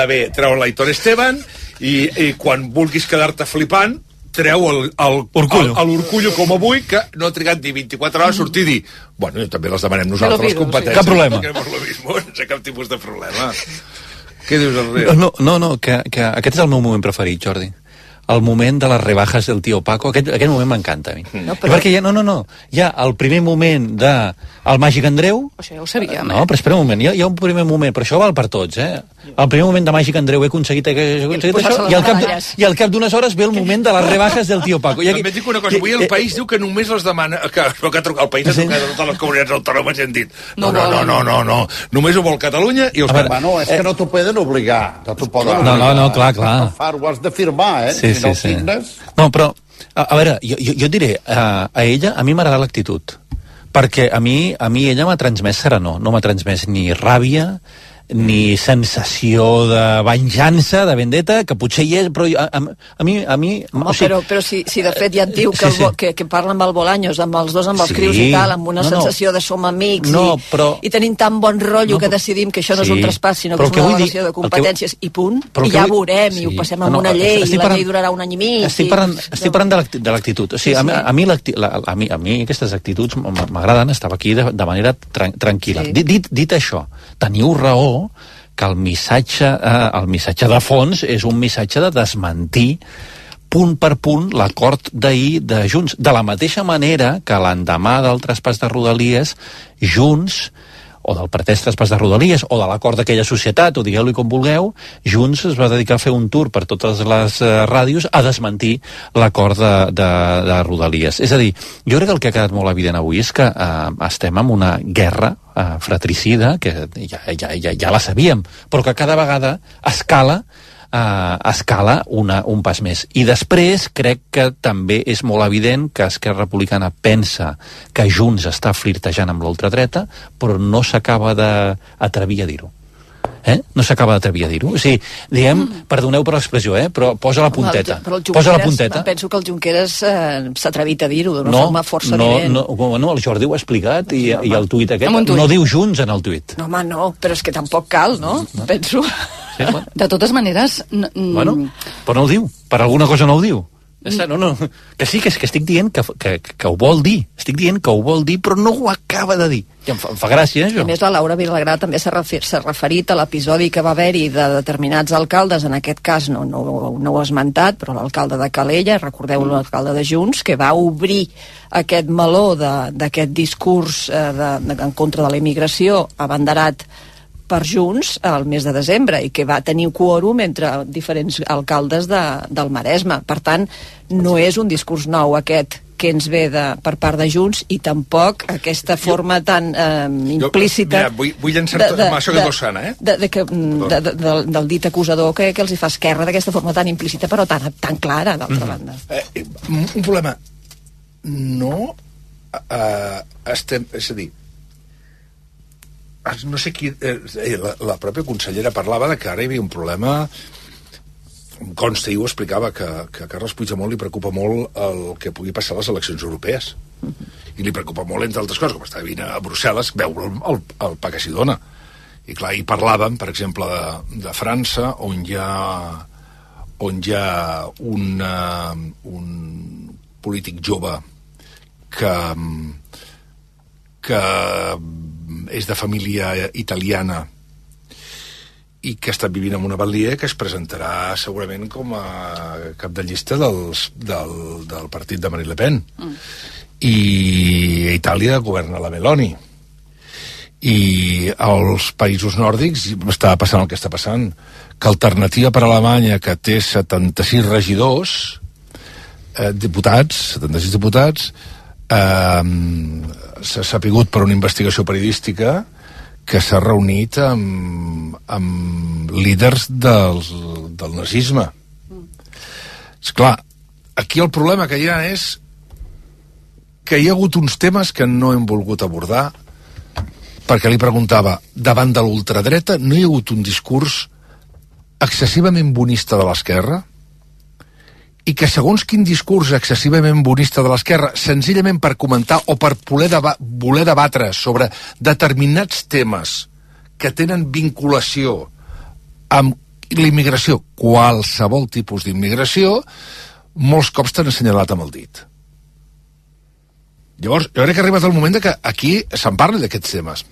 bé treu l'Aitor Esteban, i quan vulguis quedar-te flipant treu l'Urcullo com avui, que no ha trigat ni 24 hores a sortir i dir, bueno, també les demanem nosaltres les competències. Cap problema. No sé cap tipus de problema. Què dius, Enric? No, que aquest és el meu moment preferit, Jordi. El moment de les rebajas del tio Paco, aquest moment m'encanta a mi. Perquè hi ha el primer moment del Màgic Andreu... Això ja ho sabíem, No, però espera un moment, hi ha un primer moment, però això val per tots, El primer moment de Màgic Andreu he aconseguit això, i al cap d'unes hores ve el moment de les rebajas del tio Paco. També et dic una cosa, avui el País diu que només les demana... El País ha trucat a totes les comunitats autònomes i han dit no, només ho vol Catalunya i els catalans. No, és que no t'ho poden obligar. No, clar. Ho has de firmar, Sí. No, però, a veure, jo et diré, a ella, a mi m'agrada l'actitud, perquè a mi ella m'ha transmès serenor, no m'ha transmès ni ràbia, ni sensació de venjança, de vendetta, que potser hi és, però a mi... Home, o sigui, però si de fet ja et diu que parla amb el Bolaños, amb els dos, amb els crius i tal, amb una sensació de som amics i tenim tan bon rotllo que decidim que això no és un traspàs, sinó que és una delegació de competències i punt, i ja veurem, i ho passem amb una llei, i la llei durarà un any i mig. Estic parlant de l'actitud. O sigui, a mi aquestes actituds m'agraden, estava aquí de manera tranquil·la. Dit això, teniu raó que el missatge de fons és un missatge de desmentir punt per punt l'acord d'ahir de Junts. De la mateixa manera que l'endemà del traspàs de Rodalies, Junts o del pretès traspàs de Rodalies, o de l'acord d'aquella societat, o digueu-li com vulgueu, Junts es va dedicar a fer un tour per totes les ràdios a desmentir l'acord de Rodalies. És a dir, jo crec que el que ha quedat molt evident avui és que estem en una guerra fratricida, que ja la sabíem, però que cada vegada escala un pas més. I després crec que també és molt evident que Esquerra Republicana pensa que Junts està flirtejant amb l'ultradreta, però no s'acaba d'atrevir a dir-ho. No s'acaba d'atrevir a dir-ho. O sigui, diguem, perdoneu per l'expressió, però posa la punteta. Posa la punteta. Penso que el Junqueras s'ha atrevit a dir-ho d'una forma força evident. No, el Jordi ho ha explicat i el tuit aquest no diu Junts en el tuit. No, home, no, però és que tampoc cal, no? Penso. Sí, bueno. De totes maneres... Bueno, però no ho diu. Per alguna cosa no ho diu. No. Que sí, que estic dient que ho vol dir. Estic dient que ho vol dir, però no ho acaba de dir. I em fa gràcia, això. A més, la Laura Vilagrà també s'ha referit a l'episodi que va haver-hi de determinats alcaldes, en aquest cas no ho ha esmentat, però l'alcalde de Calella, recordeu l'alcalde de Junts, que va obrir aquest meló d'aquest discurs en contra de la immigració abanderat per Junts al mes de desembre i que va tenir quòrum entre diferents alcaldes del Maresme. Per tant, no és un discurs nou aquest que ens ve per part de Junts i tampoc aquesta forma tan implícita... Mira, vull llançar-te amb això que és sana, del dit acusador que els hi fa Esquerra d'aquesta forma tan implícita però tan clara, d'altra banda. Un problema. No estem... És a dir, no sé qui... La pròpia consellera parlava de que ara hi havia un problema... Em consta i ho explicava que a Carles Puigdemont li preocupa molt el que pugui passar a les eleccions europees. I li preocupa molt, entre altres coses, com està vivint a Brussel·les, veure el pa que s'hi dona. I clar, hi parlàvem, per exemple, de França, on hi ha un polític jove que és de família italiana i que està vivint en una batllia que es presentarà segurament com a cap de llista del partit de Marine Le Pen. I a Itàlia governa la Meloni. I als països nòrdics està passant el que està passant, que Alternativa per Alemanya, que té 76 regidors, 76 diputats, s'ha sapigut per una investigació periodística que s'ha reunit amb líders del nazisme. Esclar, aquí el problema que hi ha és que hi ha hagut uns temes que no hem volgut abordar, perquè li preguntava, davant de l'ultradreta no hi ha hagut un discurs excessivament bonista de l'esquerra, i que segons quin discurs excessivament bonista de l'esquerra, senzillament per comentar o per voler debatre sobre determinats temes que tenen vinculació amb l'immigració, qualsevol tipus d'immigració, molts cops t'han assenyalat amb el dit. Llavors, jo crec que ha arribat el moment que aquí se'n parli d'aquests temes.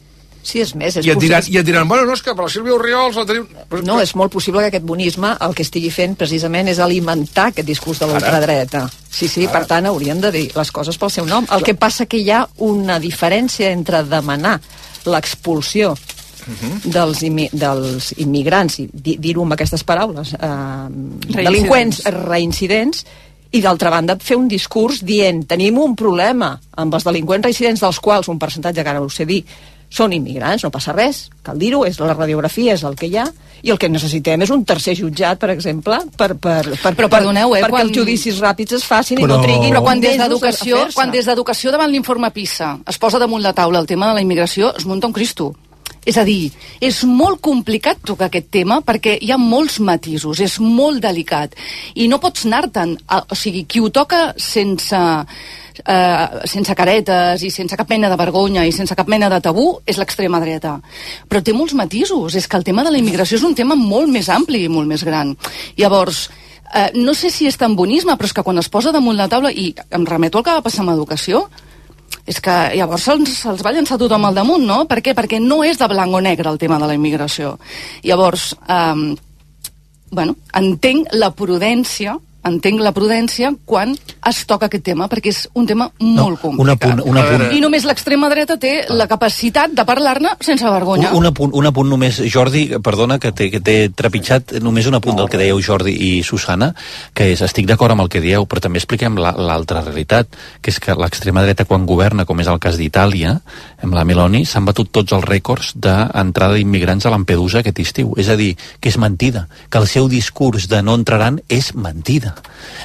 Sí, és més... I et diran, bueno, no, és que per la Sílvia Orriols la tenim... No, és molt possible que aquest bonisme el que estigui fent precisament és alimentar aquest discurs de l'ultradreta. Sí, per tant, haurien de dir les coses pel seu nom. El que passa que hi ha una diferència entre demanar l'expulsió dels immigrants, i dir-ho amb aquestes paraules, delinqüents reincidents, i d'altra banda fer un discurs dient tenim un problema amb els delinqüents reincidents, dels quals un percentatge, que ara ho sé dir, són immigrants, no passa res, cal dir-ho, la radiografia és el que hi ha, i el que necessitem és un tercer jutjat, per exemple, però perdoneu, perquè els judicis ràpids es facin i no triguin. Però quan des d'educació davant l'informe PISA es posa damunt la taula el tema de la immigració, es munta un Cristo. És a dir, és molt complicat tocar aquest tema perquè hi ha molts matisos, és molt delicat, i no pots anar-te'n, o sigui, qui ho toca sense caretes i sense cap mena de vergonya i sense cap mena de tabú és l'extrema dreta, però té molts matisos. És que el tema de la immigració és un tema molt més ampli i molt més gran. Llavors, no sé si és tan bonisme, però és que quan es posa damunt la taula, i em remeto al que va passar amb educació, és que llavors se'ls va llançar tothom al damunt, no? Per què? Perquè no és de blanc o negre el tema de la immigració. Llavors, entenc la prudència entenc la prudència quan es toca aquest tema, perquè és un tema molt complicat. Un apunt. I només l'extrema dreta té la capacitat de parlar-ne sense vergonya. Un apunt només, Jordi, perdona, que t'he trepitjat, només un apunt del que dèieu Jordi i Susana, que és, estic d'acord amb el que dieu, però també expliquem l'altra realitat, que és que l'extrema dreta quan governa, com és el cas d'Itàlia, amb la Meloni, s'han batut tots els rècords d'entrada d'immigrants a Lampedusa aquest estiu. És a dir, que és mentida, que el seu discurs de no entraran és mentida.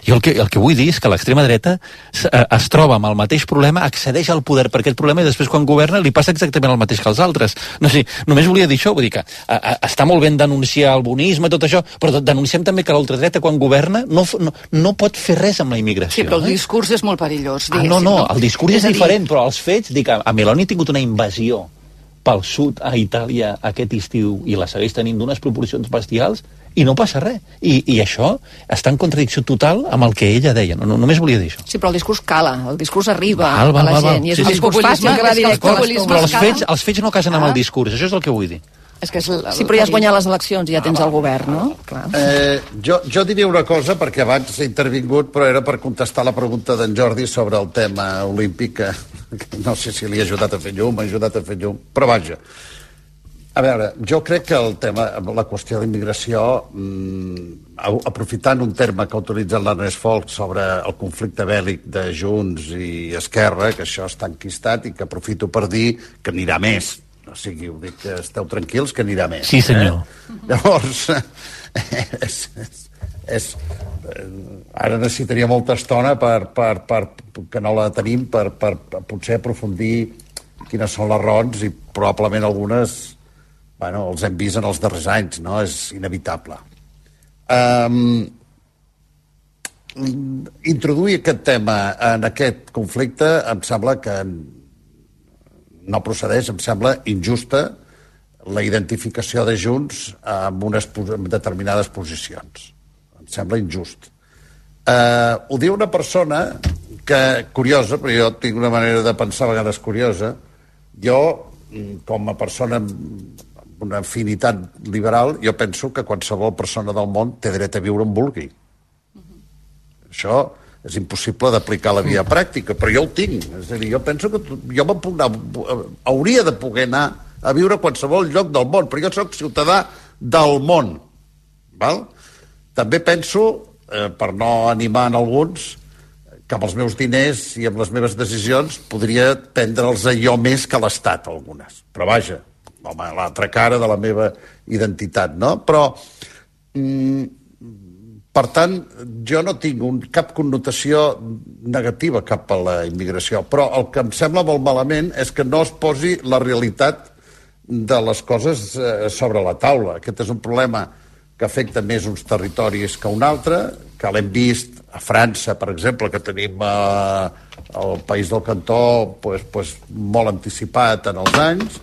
Jo el que vull dir és que l'extrema dreta es troba amb el mateix problema, accedeix al poder per aquest problema i després quan governa li passa exactament el mateix que als altres. No sé, només volia dir això, vull dir que està molt ben denunciar el bonisme, tot això, però denunciem també que l'ultradreta quan governa no pot fer res amb la immigració. Sí, però el discurs és molt perillós. No, el discurs és diferent, però els fets, dic, a Meloni ha tingut una invasió pel sud a Itàlia aquest estiu i la segueix tenint d'unes proporcions bestials i no passa res. I això està en contradicció total amb el que ella deia. Només volia dir això. Sí, però el discurs cala, el discurs arriba a la gent. I és un discurs fàcil que va directe. Però els fets no casen amb el discurs, això és el que vull dir. Sí, però ja has guanyat les eleccions i ja tens el govern, no? Clar. Jo diria una cosa, perquè abans he intervingut, però era per contestar la pregunta d'en Jordi sobre el tema olímpic, que no sé si li ha ajudat a fer llum, però vaja. A veure, jo crec que el tema, la qüestió d'immigració, aprofitant un terme que ha utilitzat l'Ernest Folch sobre el conflicte bèl·lic de Junts i Esquerra, que això està enquistat i que aprofito per dir que anirà més. O sigui, ho dic que esteu tranquils, que anirà més. Sí, senyor. Llavors, ara necessitaria molta estona que no la tenim per potser aprofundir quines són les raons i probablement algunes els hem vist en els darrers anys, no? És inevitable. Introduir aquest tema en aquest conflicte em sembla que no procedeix, em sembla injusta la identificació de Junts amb determinades posicions. Em sembla injust. Ho diu una persona curiosa, però jo tinc una manera de pensar a vegades curiosa. Jo, com a persona amb una afinitat liberal, jo penso que qualsevol persona del món té dret a viure on vulgui. Això és impossible d'aplicar a la via pràctica, però jo ho tinc. És a dir, jo penso que jo hauria de poder anar a viure a qualsevol lloc del món, però jo sóc ciutadà del món. Val? També penso, per no animar en alguns, que amb els meus diners i amb les meves decisions podria prendre'ls jo més que l'Estat, algunes. Però vaja, l'altra cara de la meva identitat, no? Però per tant, jo no tinc cap connotació negativa cap a la immigració, però el que em sembla molt malament és que no es posi la realitat de les coses sobre la taula. Aquest és un problema que afecta més uns territoris que un altre, que l'hem vist a França, per exemple, que tenim el país del Cantó molt anticipat en els anys,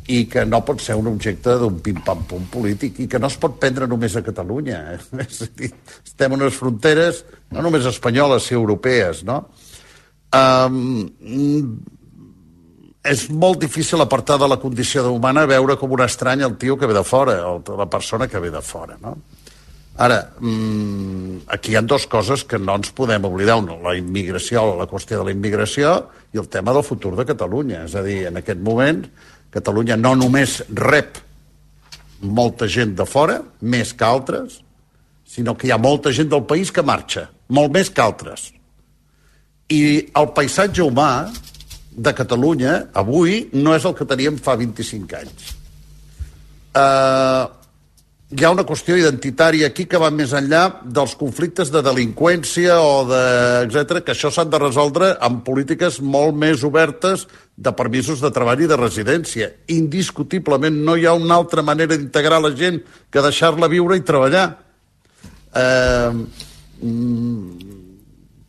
i que no pot ser un objecte d'un pim-pam-pum polític i que no es pot prendre només a Catalunya. És a dir, estem en unes fronteres no només espanyoles, sinó europees, no? És molt difícil apartar de la condició humana veure com un estrany el tio que ve de fora, la persona que ve de fora, no? Ara, aquí hi ha dues coses que no ens podem oblidar. La immigració, la qüestió de la immigració i el tema del futur de Catalunya. És a dir, en aquest moment Catalunya no només rep molta gent de fora, més que altres, sinó que hi ha molta gent del país que marxa, molt més que altres. I el paisatge humà de Catalunya avui no és el que teníem fa 25 anys. Hi ha una qüestió identitària aquí que va més enllà dels conflictes de delinqüència etc., que això s'han de resoldre amb polítiques molt més obertes de permisos de treball i de residència. Indiscutiblement no hi ha una altra manera d'integrar la gent que deixar-la viure i treballar.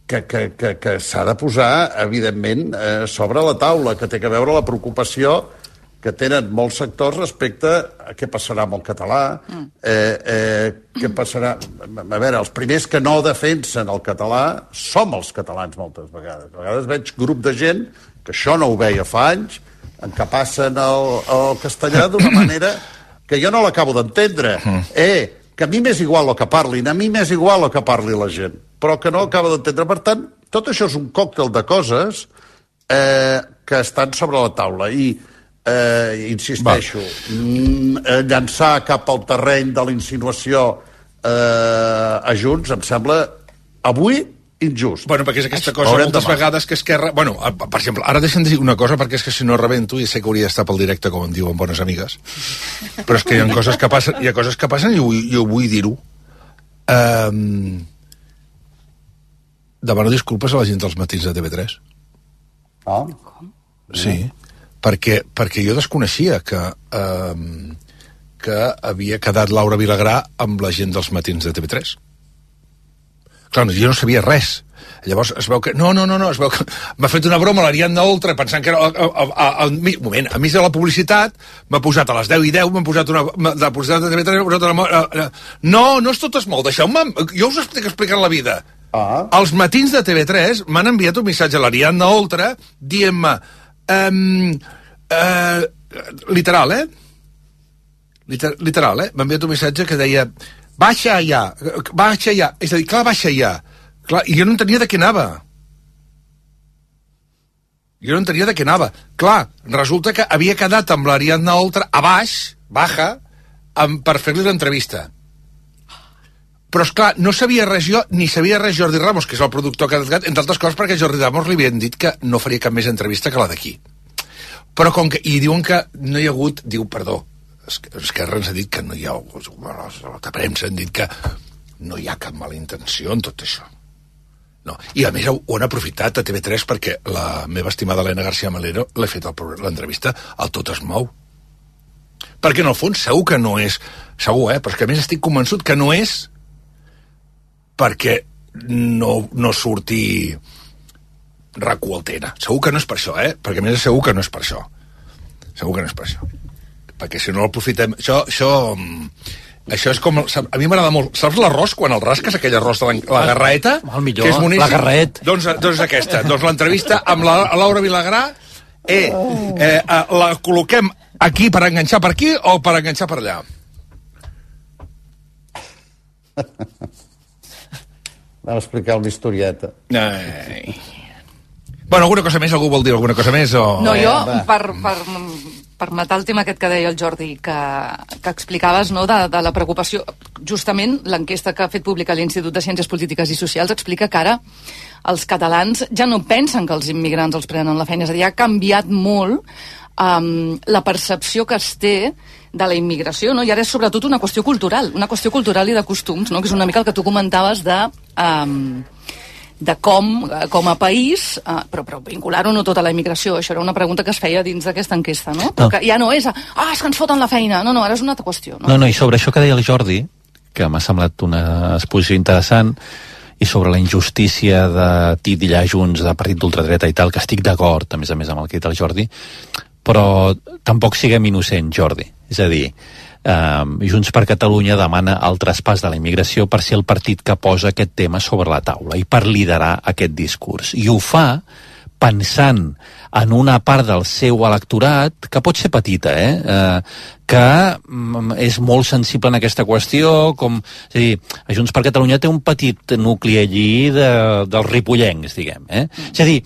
Que s'ha de posar, evidentment, sobre la taula, que té que veure la preocupació que tenen molts sectors respecte a què passarà amb el català, què passarà... A veure, els primers que no defensen el català som els catalans moltes vegades. A vegades veig grup de gent que això no ho veia fa anys, en què passen el castellà d'una manera que jo no l'acabo d'entendre. que a mi m'és igual el que parlin, a mi m'és igual el que parli la gent, però que no acaba d'entendre. Per tant, tot això és un còctel de coses que estan sobre la taula i insisteixo, llançar cap al terreny de la insinuació a Junts em sembla avui injust. Bueno, perquè és aquesta cosa moltes vegades que Esquerra... Bueno, per exemple, ara deixa'm dir una cosa perquè és que si no rebento i sé que hauria d'estar pel directe, com em diuen bones amigues, però és que hi ha coses que passen, i ho vull dir-ho. Demano disculpes a la gent dels matins de TV3. Ah? Sí, perquè jo desconeixia que havia quedat Laura Vilagrà amb la gent dels matins de TV3. Clar, jo no sabia res. Llavors es veu que... No, es veu que m'ha fet una broma l'Ariadna Oltra pensant que era... moment, a mi de la publicitat m'ha posat a les 10:10, m'ha posat una... De la publicitat de TV3 m'ha posat una... No és tot es molt, deixeu-me... Jo us estic explicant la vida. Els matins de TV3 m'han enviat un missatge a l'Ariadna Oltra dient-me... literal, Literal, m'ha enviat un missatge que deia... Baixa ja. És a dir, clar, baixa ja. Clar, i jo no entenia de què anava. Clar, resulta que havia quedat amb l'Ariadna Oltra a baix, baja, per fer-li l'entrevista. Però, esclar, no sabia res jo, ni sabia res Jordi Ramos, que és el productor que ha desgat, entre altres coses perquè Jordi Ramos li havien dit que no faria cap més entrevista que la d'aquí. Però com que... I diuen que no hi ha hagut... Diu, perdó, Esquerra ens ha dit que no hi ha... La premsa han dit que no hi ha cap mala intenció en tot això. No. I a més ho han aprofitat a TV3 perquè la meva estimada Elena García Melero l'he fet l'entrevista al Tot es mou. Perquè en el fons segur que no és... Segur, però és que a més estic convençut que no és perquè no surti RAC1 al TN. Segur que no és per això, perquè a més segur que no és per això. Perquè si no l'aprofitem... Això és com... A mi m'agrada molt... Saps l'arròs, quan el rasques, aquell arròs de la garraeta? El millor, que és boníssim. La garret. Doncs aquesta. Doncs l'entrevista amb la Laura Vilagrà la col·loquem aquí per enganxar per aquí o per enganxar per allà? Vam explicar una historieta. Bueno, alguna cosa més? Algú vol dir alguna cosa més? O... No, jo, per matar el tema aquest que deia el Jordi, que explicaves, no, de la preocupació, justament l'enquesta que ha fet pública l'Institut de Ciències Polítiques i Socials explica que ara els catalans ja no pensen que els immigrants els prenen la feina, és a dir, ha canviat molt la percepció que es té de la immigració, no? I ara és sobretot una qüestió cultural i de costums, no? Que és una mica el que tu comentaves de com a país, però vincular-ho no tota la immigració. Això era una pregunta que es feia dins d'aquesta enquesta, no? Però que ja no és és que ens foten la feina. No, ara és una altra qüestió. No, i sobre això que deia el Jordi, que m'ha semblat una exposició interessant, i sobre la injustícia de titllar Junts de partit d'ultradreta i tal, que estic d'acord, a més amb el que ha dit el Jordi, però tampoc siguem innocents, Jordi. És a dir, Junts per Catalunya demana el traspàs de la immigració per ser el partit que posa aquest tema sobre la taula i per liderar aquest discurs. I ho fa pensant en una part del seu electorat que pot ser petita, que és molt sensible en aquesta qüestió, és a dir, Junts per Catalunya té un petit nucli allí dels ripollencs, diguem. És a dir,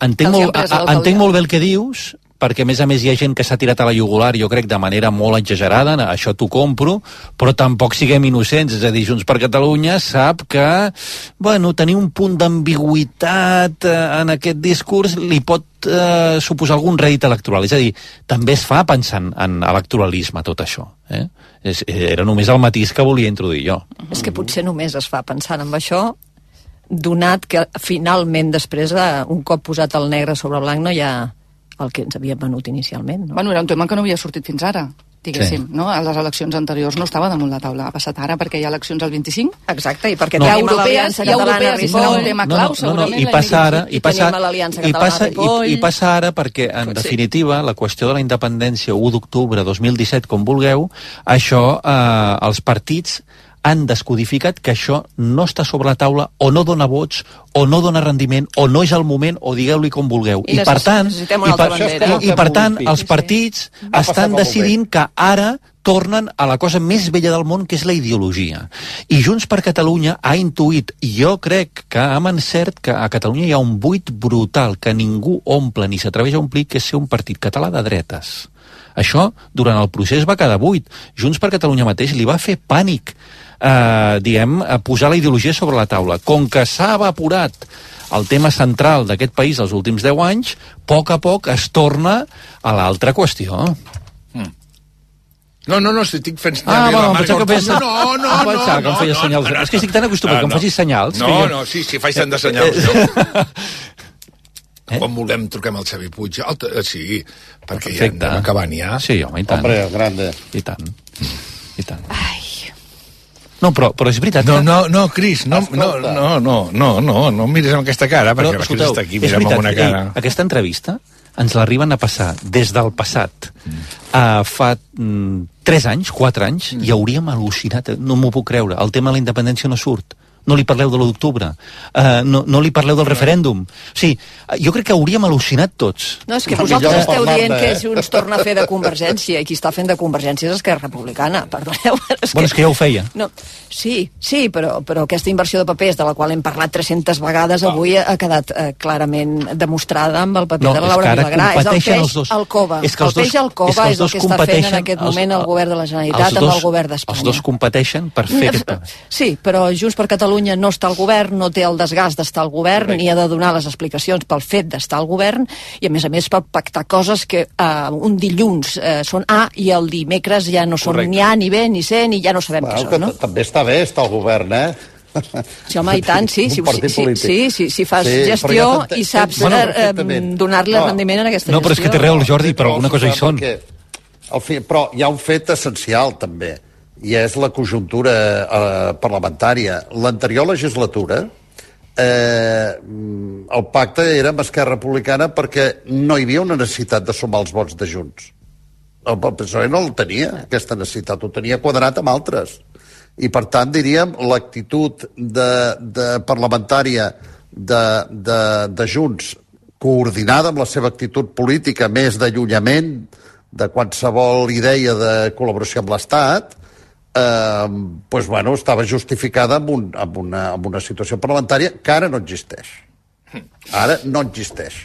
entenc molt bé el que dius, perquè a més hi ha gent que s'ha tirat a la jugular, jo crec, de manera molt exagerada, això t'ho compro, però tampoc siguem innocents, és a dir, Junts per Catalunya sap que, tenir un punt d'ambigüitat en aquest discurs li pot suposar algun rèdit electoral, és a dir, també es fa pensant en electoralisme tot això, era només el matís que volia introduir jo. És que potser només es fa pensant en això, donat que finalment després, un cop posat el negre sobre blanc, no hi ha el que ens havia venut inicialment. No? Bueno, era un tema que no havia sortit fins ara, diguéssim, no? A les eleccions anteriors no estava damunt la taula, ha passat ara perquè hi ha eleccions al 25. Exacte, i perquè tenim l'Aliança Catalana i serà un tema clau, segurament. I passa ara, i passa ara perquè, en definitiva, la qüestió de la independència 1 d'octubre 2017, com vulgueu, això, els partits han descodificat que això no està sobre la taula, o no dona vots, o no dona rendiment, o no és el moment, o digueu-li com vulgueu. I per tant, els partits estan decidint que ara tornen a la cosa més vella del món, que és la ideologia. I Junts per Catalunya ha intuït, jo crec que amb encert, que a Catalunya hi ha un buit brutal que ningú omple ni s'atreveix a omplir, que és ser un partit català de dretes. Això, durant el procés va quedar buit. Junts per Catalunya mateix li va fer pànic posar la ideologia sobre la taula. Com que s'ha evaporat el tema central d'aquest país els últims 10 anys, a poc es torna a l'altra qüestió. No, si estic fent senyals... No, que em feia senyals. És que estic tan acostumat que em facis senyals. Sí, faig tant de senyals. Quan vulguem truquem al Xavi Puig. Sí, perquè ja anem acabant ja. Sí, home, i tant. Hombre, grande. I tant. Ai... No, però és veritat que... No, Cris, no miris amb aquesta cara, perquè la Cris està aquí, mira'm amb una cara. Aquesta entrevista ens l'arriben a passar des del passat fa 3 anys, 4 anys, i hauríem al·lucinat, no m'ho puc creure, el tema de la independència no surt. No li parleu de l'1 d'octubre, no li parleu del referèndum. O sigui, jo crec que hauríem al·lucinat tots. No, és que vosaltres esteu dient que Junts torna a fer de Convergència, i qui està fent de Convergència és Esquerra Republicana, perdoneu. Bueno, és que ja ho feia. No, sí, però aquesta inversió de papers, de la qual hem parlat 300 vegades, avui ha quedat clarament demostrada amb el paper de la Laura Vilagrà. És el peix al cova. El peix al cova és el que està fent en aquest moment el govern de la Generalitat amb el govern d'Espanya. Els dos competeixen per fer aquest paper. Sí, però Junts per Catalunya no està al govern, no té el desgast d'estar al govern, ni ha de donar les explicacions pel fet d'estar al govern, i a més per pactar coses que un dilluns són A i el dimecres ja no són ni A, ni B, ni C, ni ja no sabem què són, no? També està bé estar al govern, Sí, home, i tant, sí. Si fas gestió i saps donar-li rendiment en aquesta gestió. No, però és que té raó el Jordi, però alguna cosa hi són. Però hi ha un fet essencial, també, i és la conjuntura parlamentària. L'anterior legislatura el pacte era amb Esquerra Republicana perquè no hi havia una necessitat de sumar els vots de Junts. El PSOE no el tenia, aquesta necessitat, ho tenia quadrat amb altres. I per tant, diríem, l'actitud parlamentària de Junts, coordinada amb la seva actitud política més d'allunyament de qualsevol idea de col·laboració amb l'Estat, estava justificada amb una situació parlamentària que ara no existeix. Ara no existeix.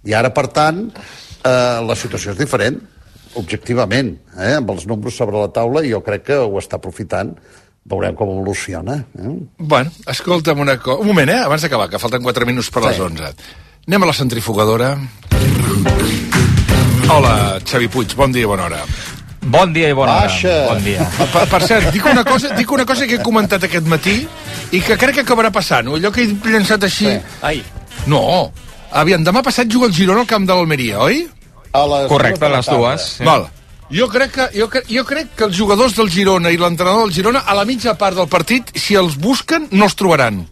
I ara, per tant, la situació és diferent, objectivament, amb els números sobre la taula, i jo crec que ho està aprofitant. Veurem com evoluciona. Bueno, escolta'm un moment, abans d'acabar, que falten 4 minuts per les 11. Anem a la centrifugadora. Hola, Xavi Puig, bon dia i bona hora. Bon dia i bona hora. Bon dia. Per cert, dic una cosa que he comentat aquest matí i que crec que acabarà passant. Allò que he llançat així... Ai. No. Aviam, demà passat juga el Girona al camp de l'Almeria, oi? Correcte, a les dues. Val. Jo crec que els jugadors del Girona i l'entrenador del Girona, a la mitja part del partit, si els busquen, no els trobaran.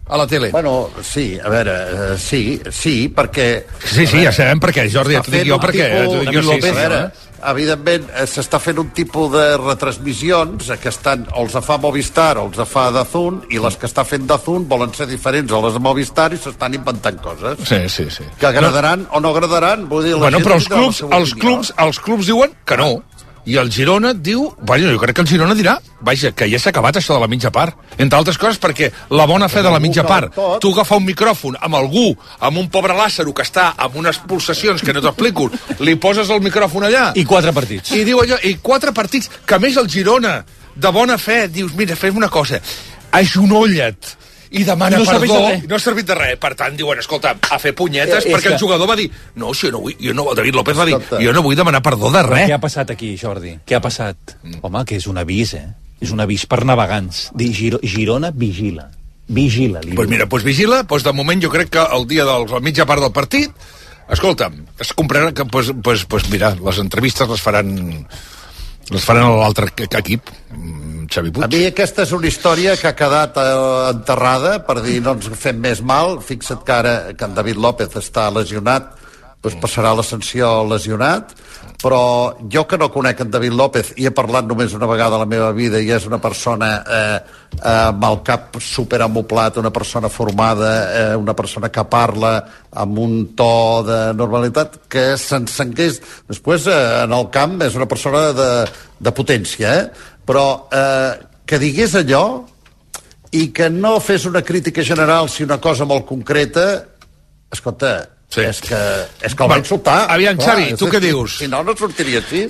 A la tele. Bueno, sí, a veure, sí, perquè... Sí, ja sabem per què, Jordi, et dic jo per què. Evidentment, s'està fent un tipus de retransmissions que estan, o els fa Movistar o els fa DAZN, i les que està fent DAZN volen ser diferents a les de Movistar i s'estan inventant coses. Sí. Que agradaran o no agradaran, vull dir... Bueno, però els clubs diuen que no. I el Girona diu... jo crec que el Girona dirà que ja s'ha acabat això de la mitja part. Entre altres coses perquè la bona fe de la mitja part, tu agafar un micròfon amb algú, amb un pobre Lázaro que està amb unes pulsacions que no t'explico, li poses el micròfon allà... I 4 partits. I diu allò, i 4 partits, que a més el Girona, de bona fe, dius, mira, fem una cosa, agenolla't i demana perdó, no ha servit de res. Per tant, diuen, escolta, a fer punyetes, perquè el jugador va dir, no, si jo no vull, David López va dir, jo no vull demanar perdó de res. Què ha passat aquí, Jordi? Què ha passat? Home, que és un avís, És un avís per navegants. Girona vigila. Vigila. Doncs mira, vigila, de moment jo crec que el dia de la mitja part del partit, escolta'm, es comprarà que, mira, les entrevistes les faran a l'altre equip, Xavi Puig. A mi aquesta és una història que ha quedat enterrada, per dir no ens fem més mal. Fixa't que ara que en David López està lesionat, doncs passarà la sanció lesionat, però jo que no conec en David López i he parlat només una vegada a la meva vida i és una persona amb el cap superamoplat, una persona formada, una persona que parla amb un to de normalitat, que s'encengués. Després, en el camp, és una persona de potència, però que digués allò i que no fes una crítica general si una cosa molt concreta, escolta, sí. és que el va insultar. Aviam, Xavi, tu què dius? Si no sortiria així.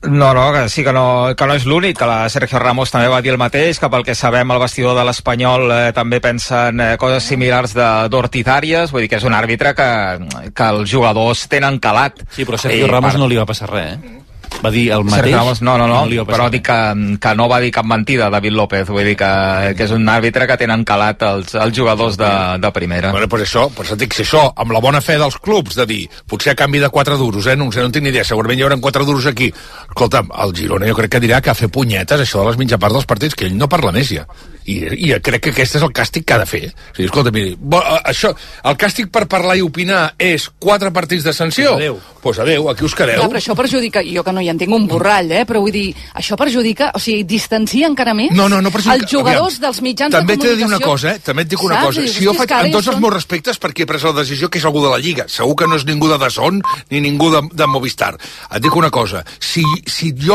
No, que sí que no és l'únic, que la Sergio Ramos també va dir el mateix, que pel que sabem el vestidor de l'Espanyol també pensen coses similars d'Ortizàries, vull dir que és un àrbitre que els jugadors tenen calat. Sí, però Sergio Ramos no li va passar res, Va dir el mateix? Ramos, no, però dic que no va dir cap mentida David López, vull dir que és un àrbitre que tenen calat els jugadors de primera. Bueno, per això dic, si això, amb la bona fe dels clubs, de dir, potser a canvi de 4 duros, no en tinc ni idea, segurament hi haurà 4 duros aquí. Escolta'm, el Girona jo crec que dirà que a fer punyetes, això de les mitjaparts dels partits, que ell no parla més ja. I crec que aquest és el càstig que ha de fer. O sigui, escolta, miri, això, el càstig per parlar i opinar és 4 partits de sanció? Pues adeu, aquí us quedeu. Clar, però això perjudica, jo que no hi entenc un borrall, però vull dir, això perjudica, o sigui, distancia encara més no perjudica. Els jugadors dels mitjans de comunicació. També t'he de dir una cosa, també et dic una cosa. Si jo faig, amb tots els meus respectes, perquè he pres la decisió que és algú de la Lliga, segur que no és ningú de DAZN ni ningú de Movistar. Et dic una cosa, si jo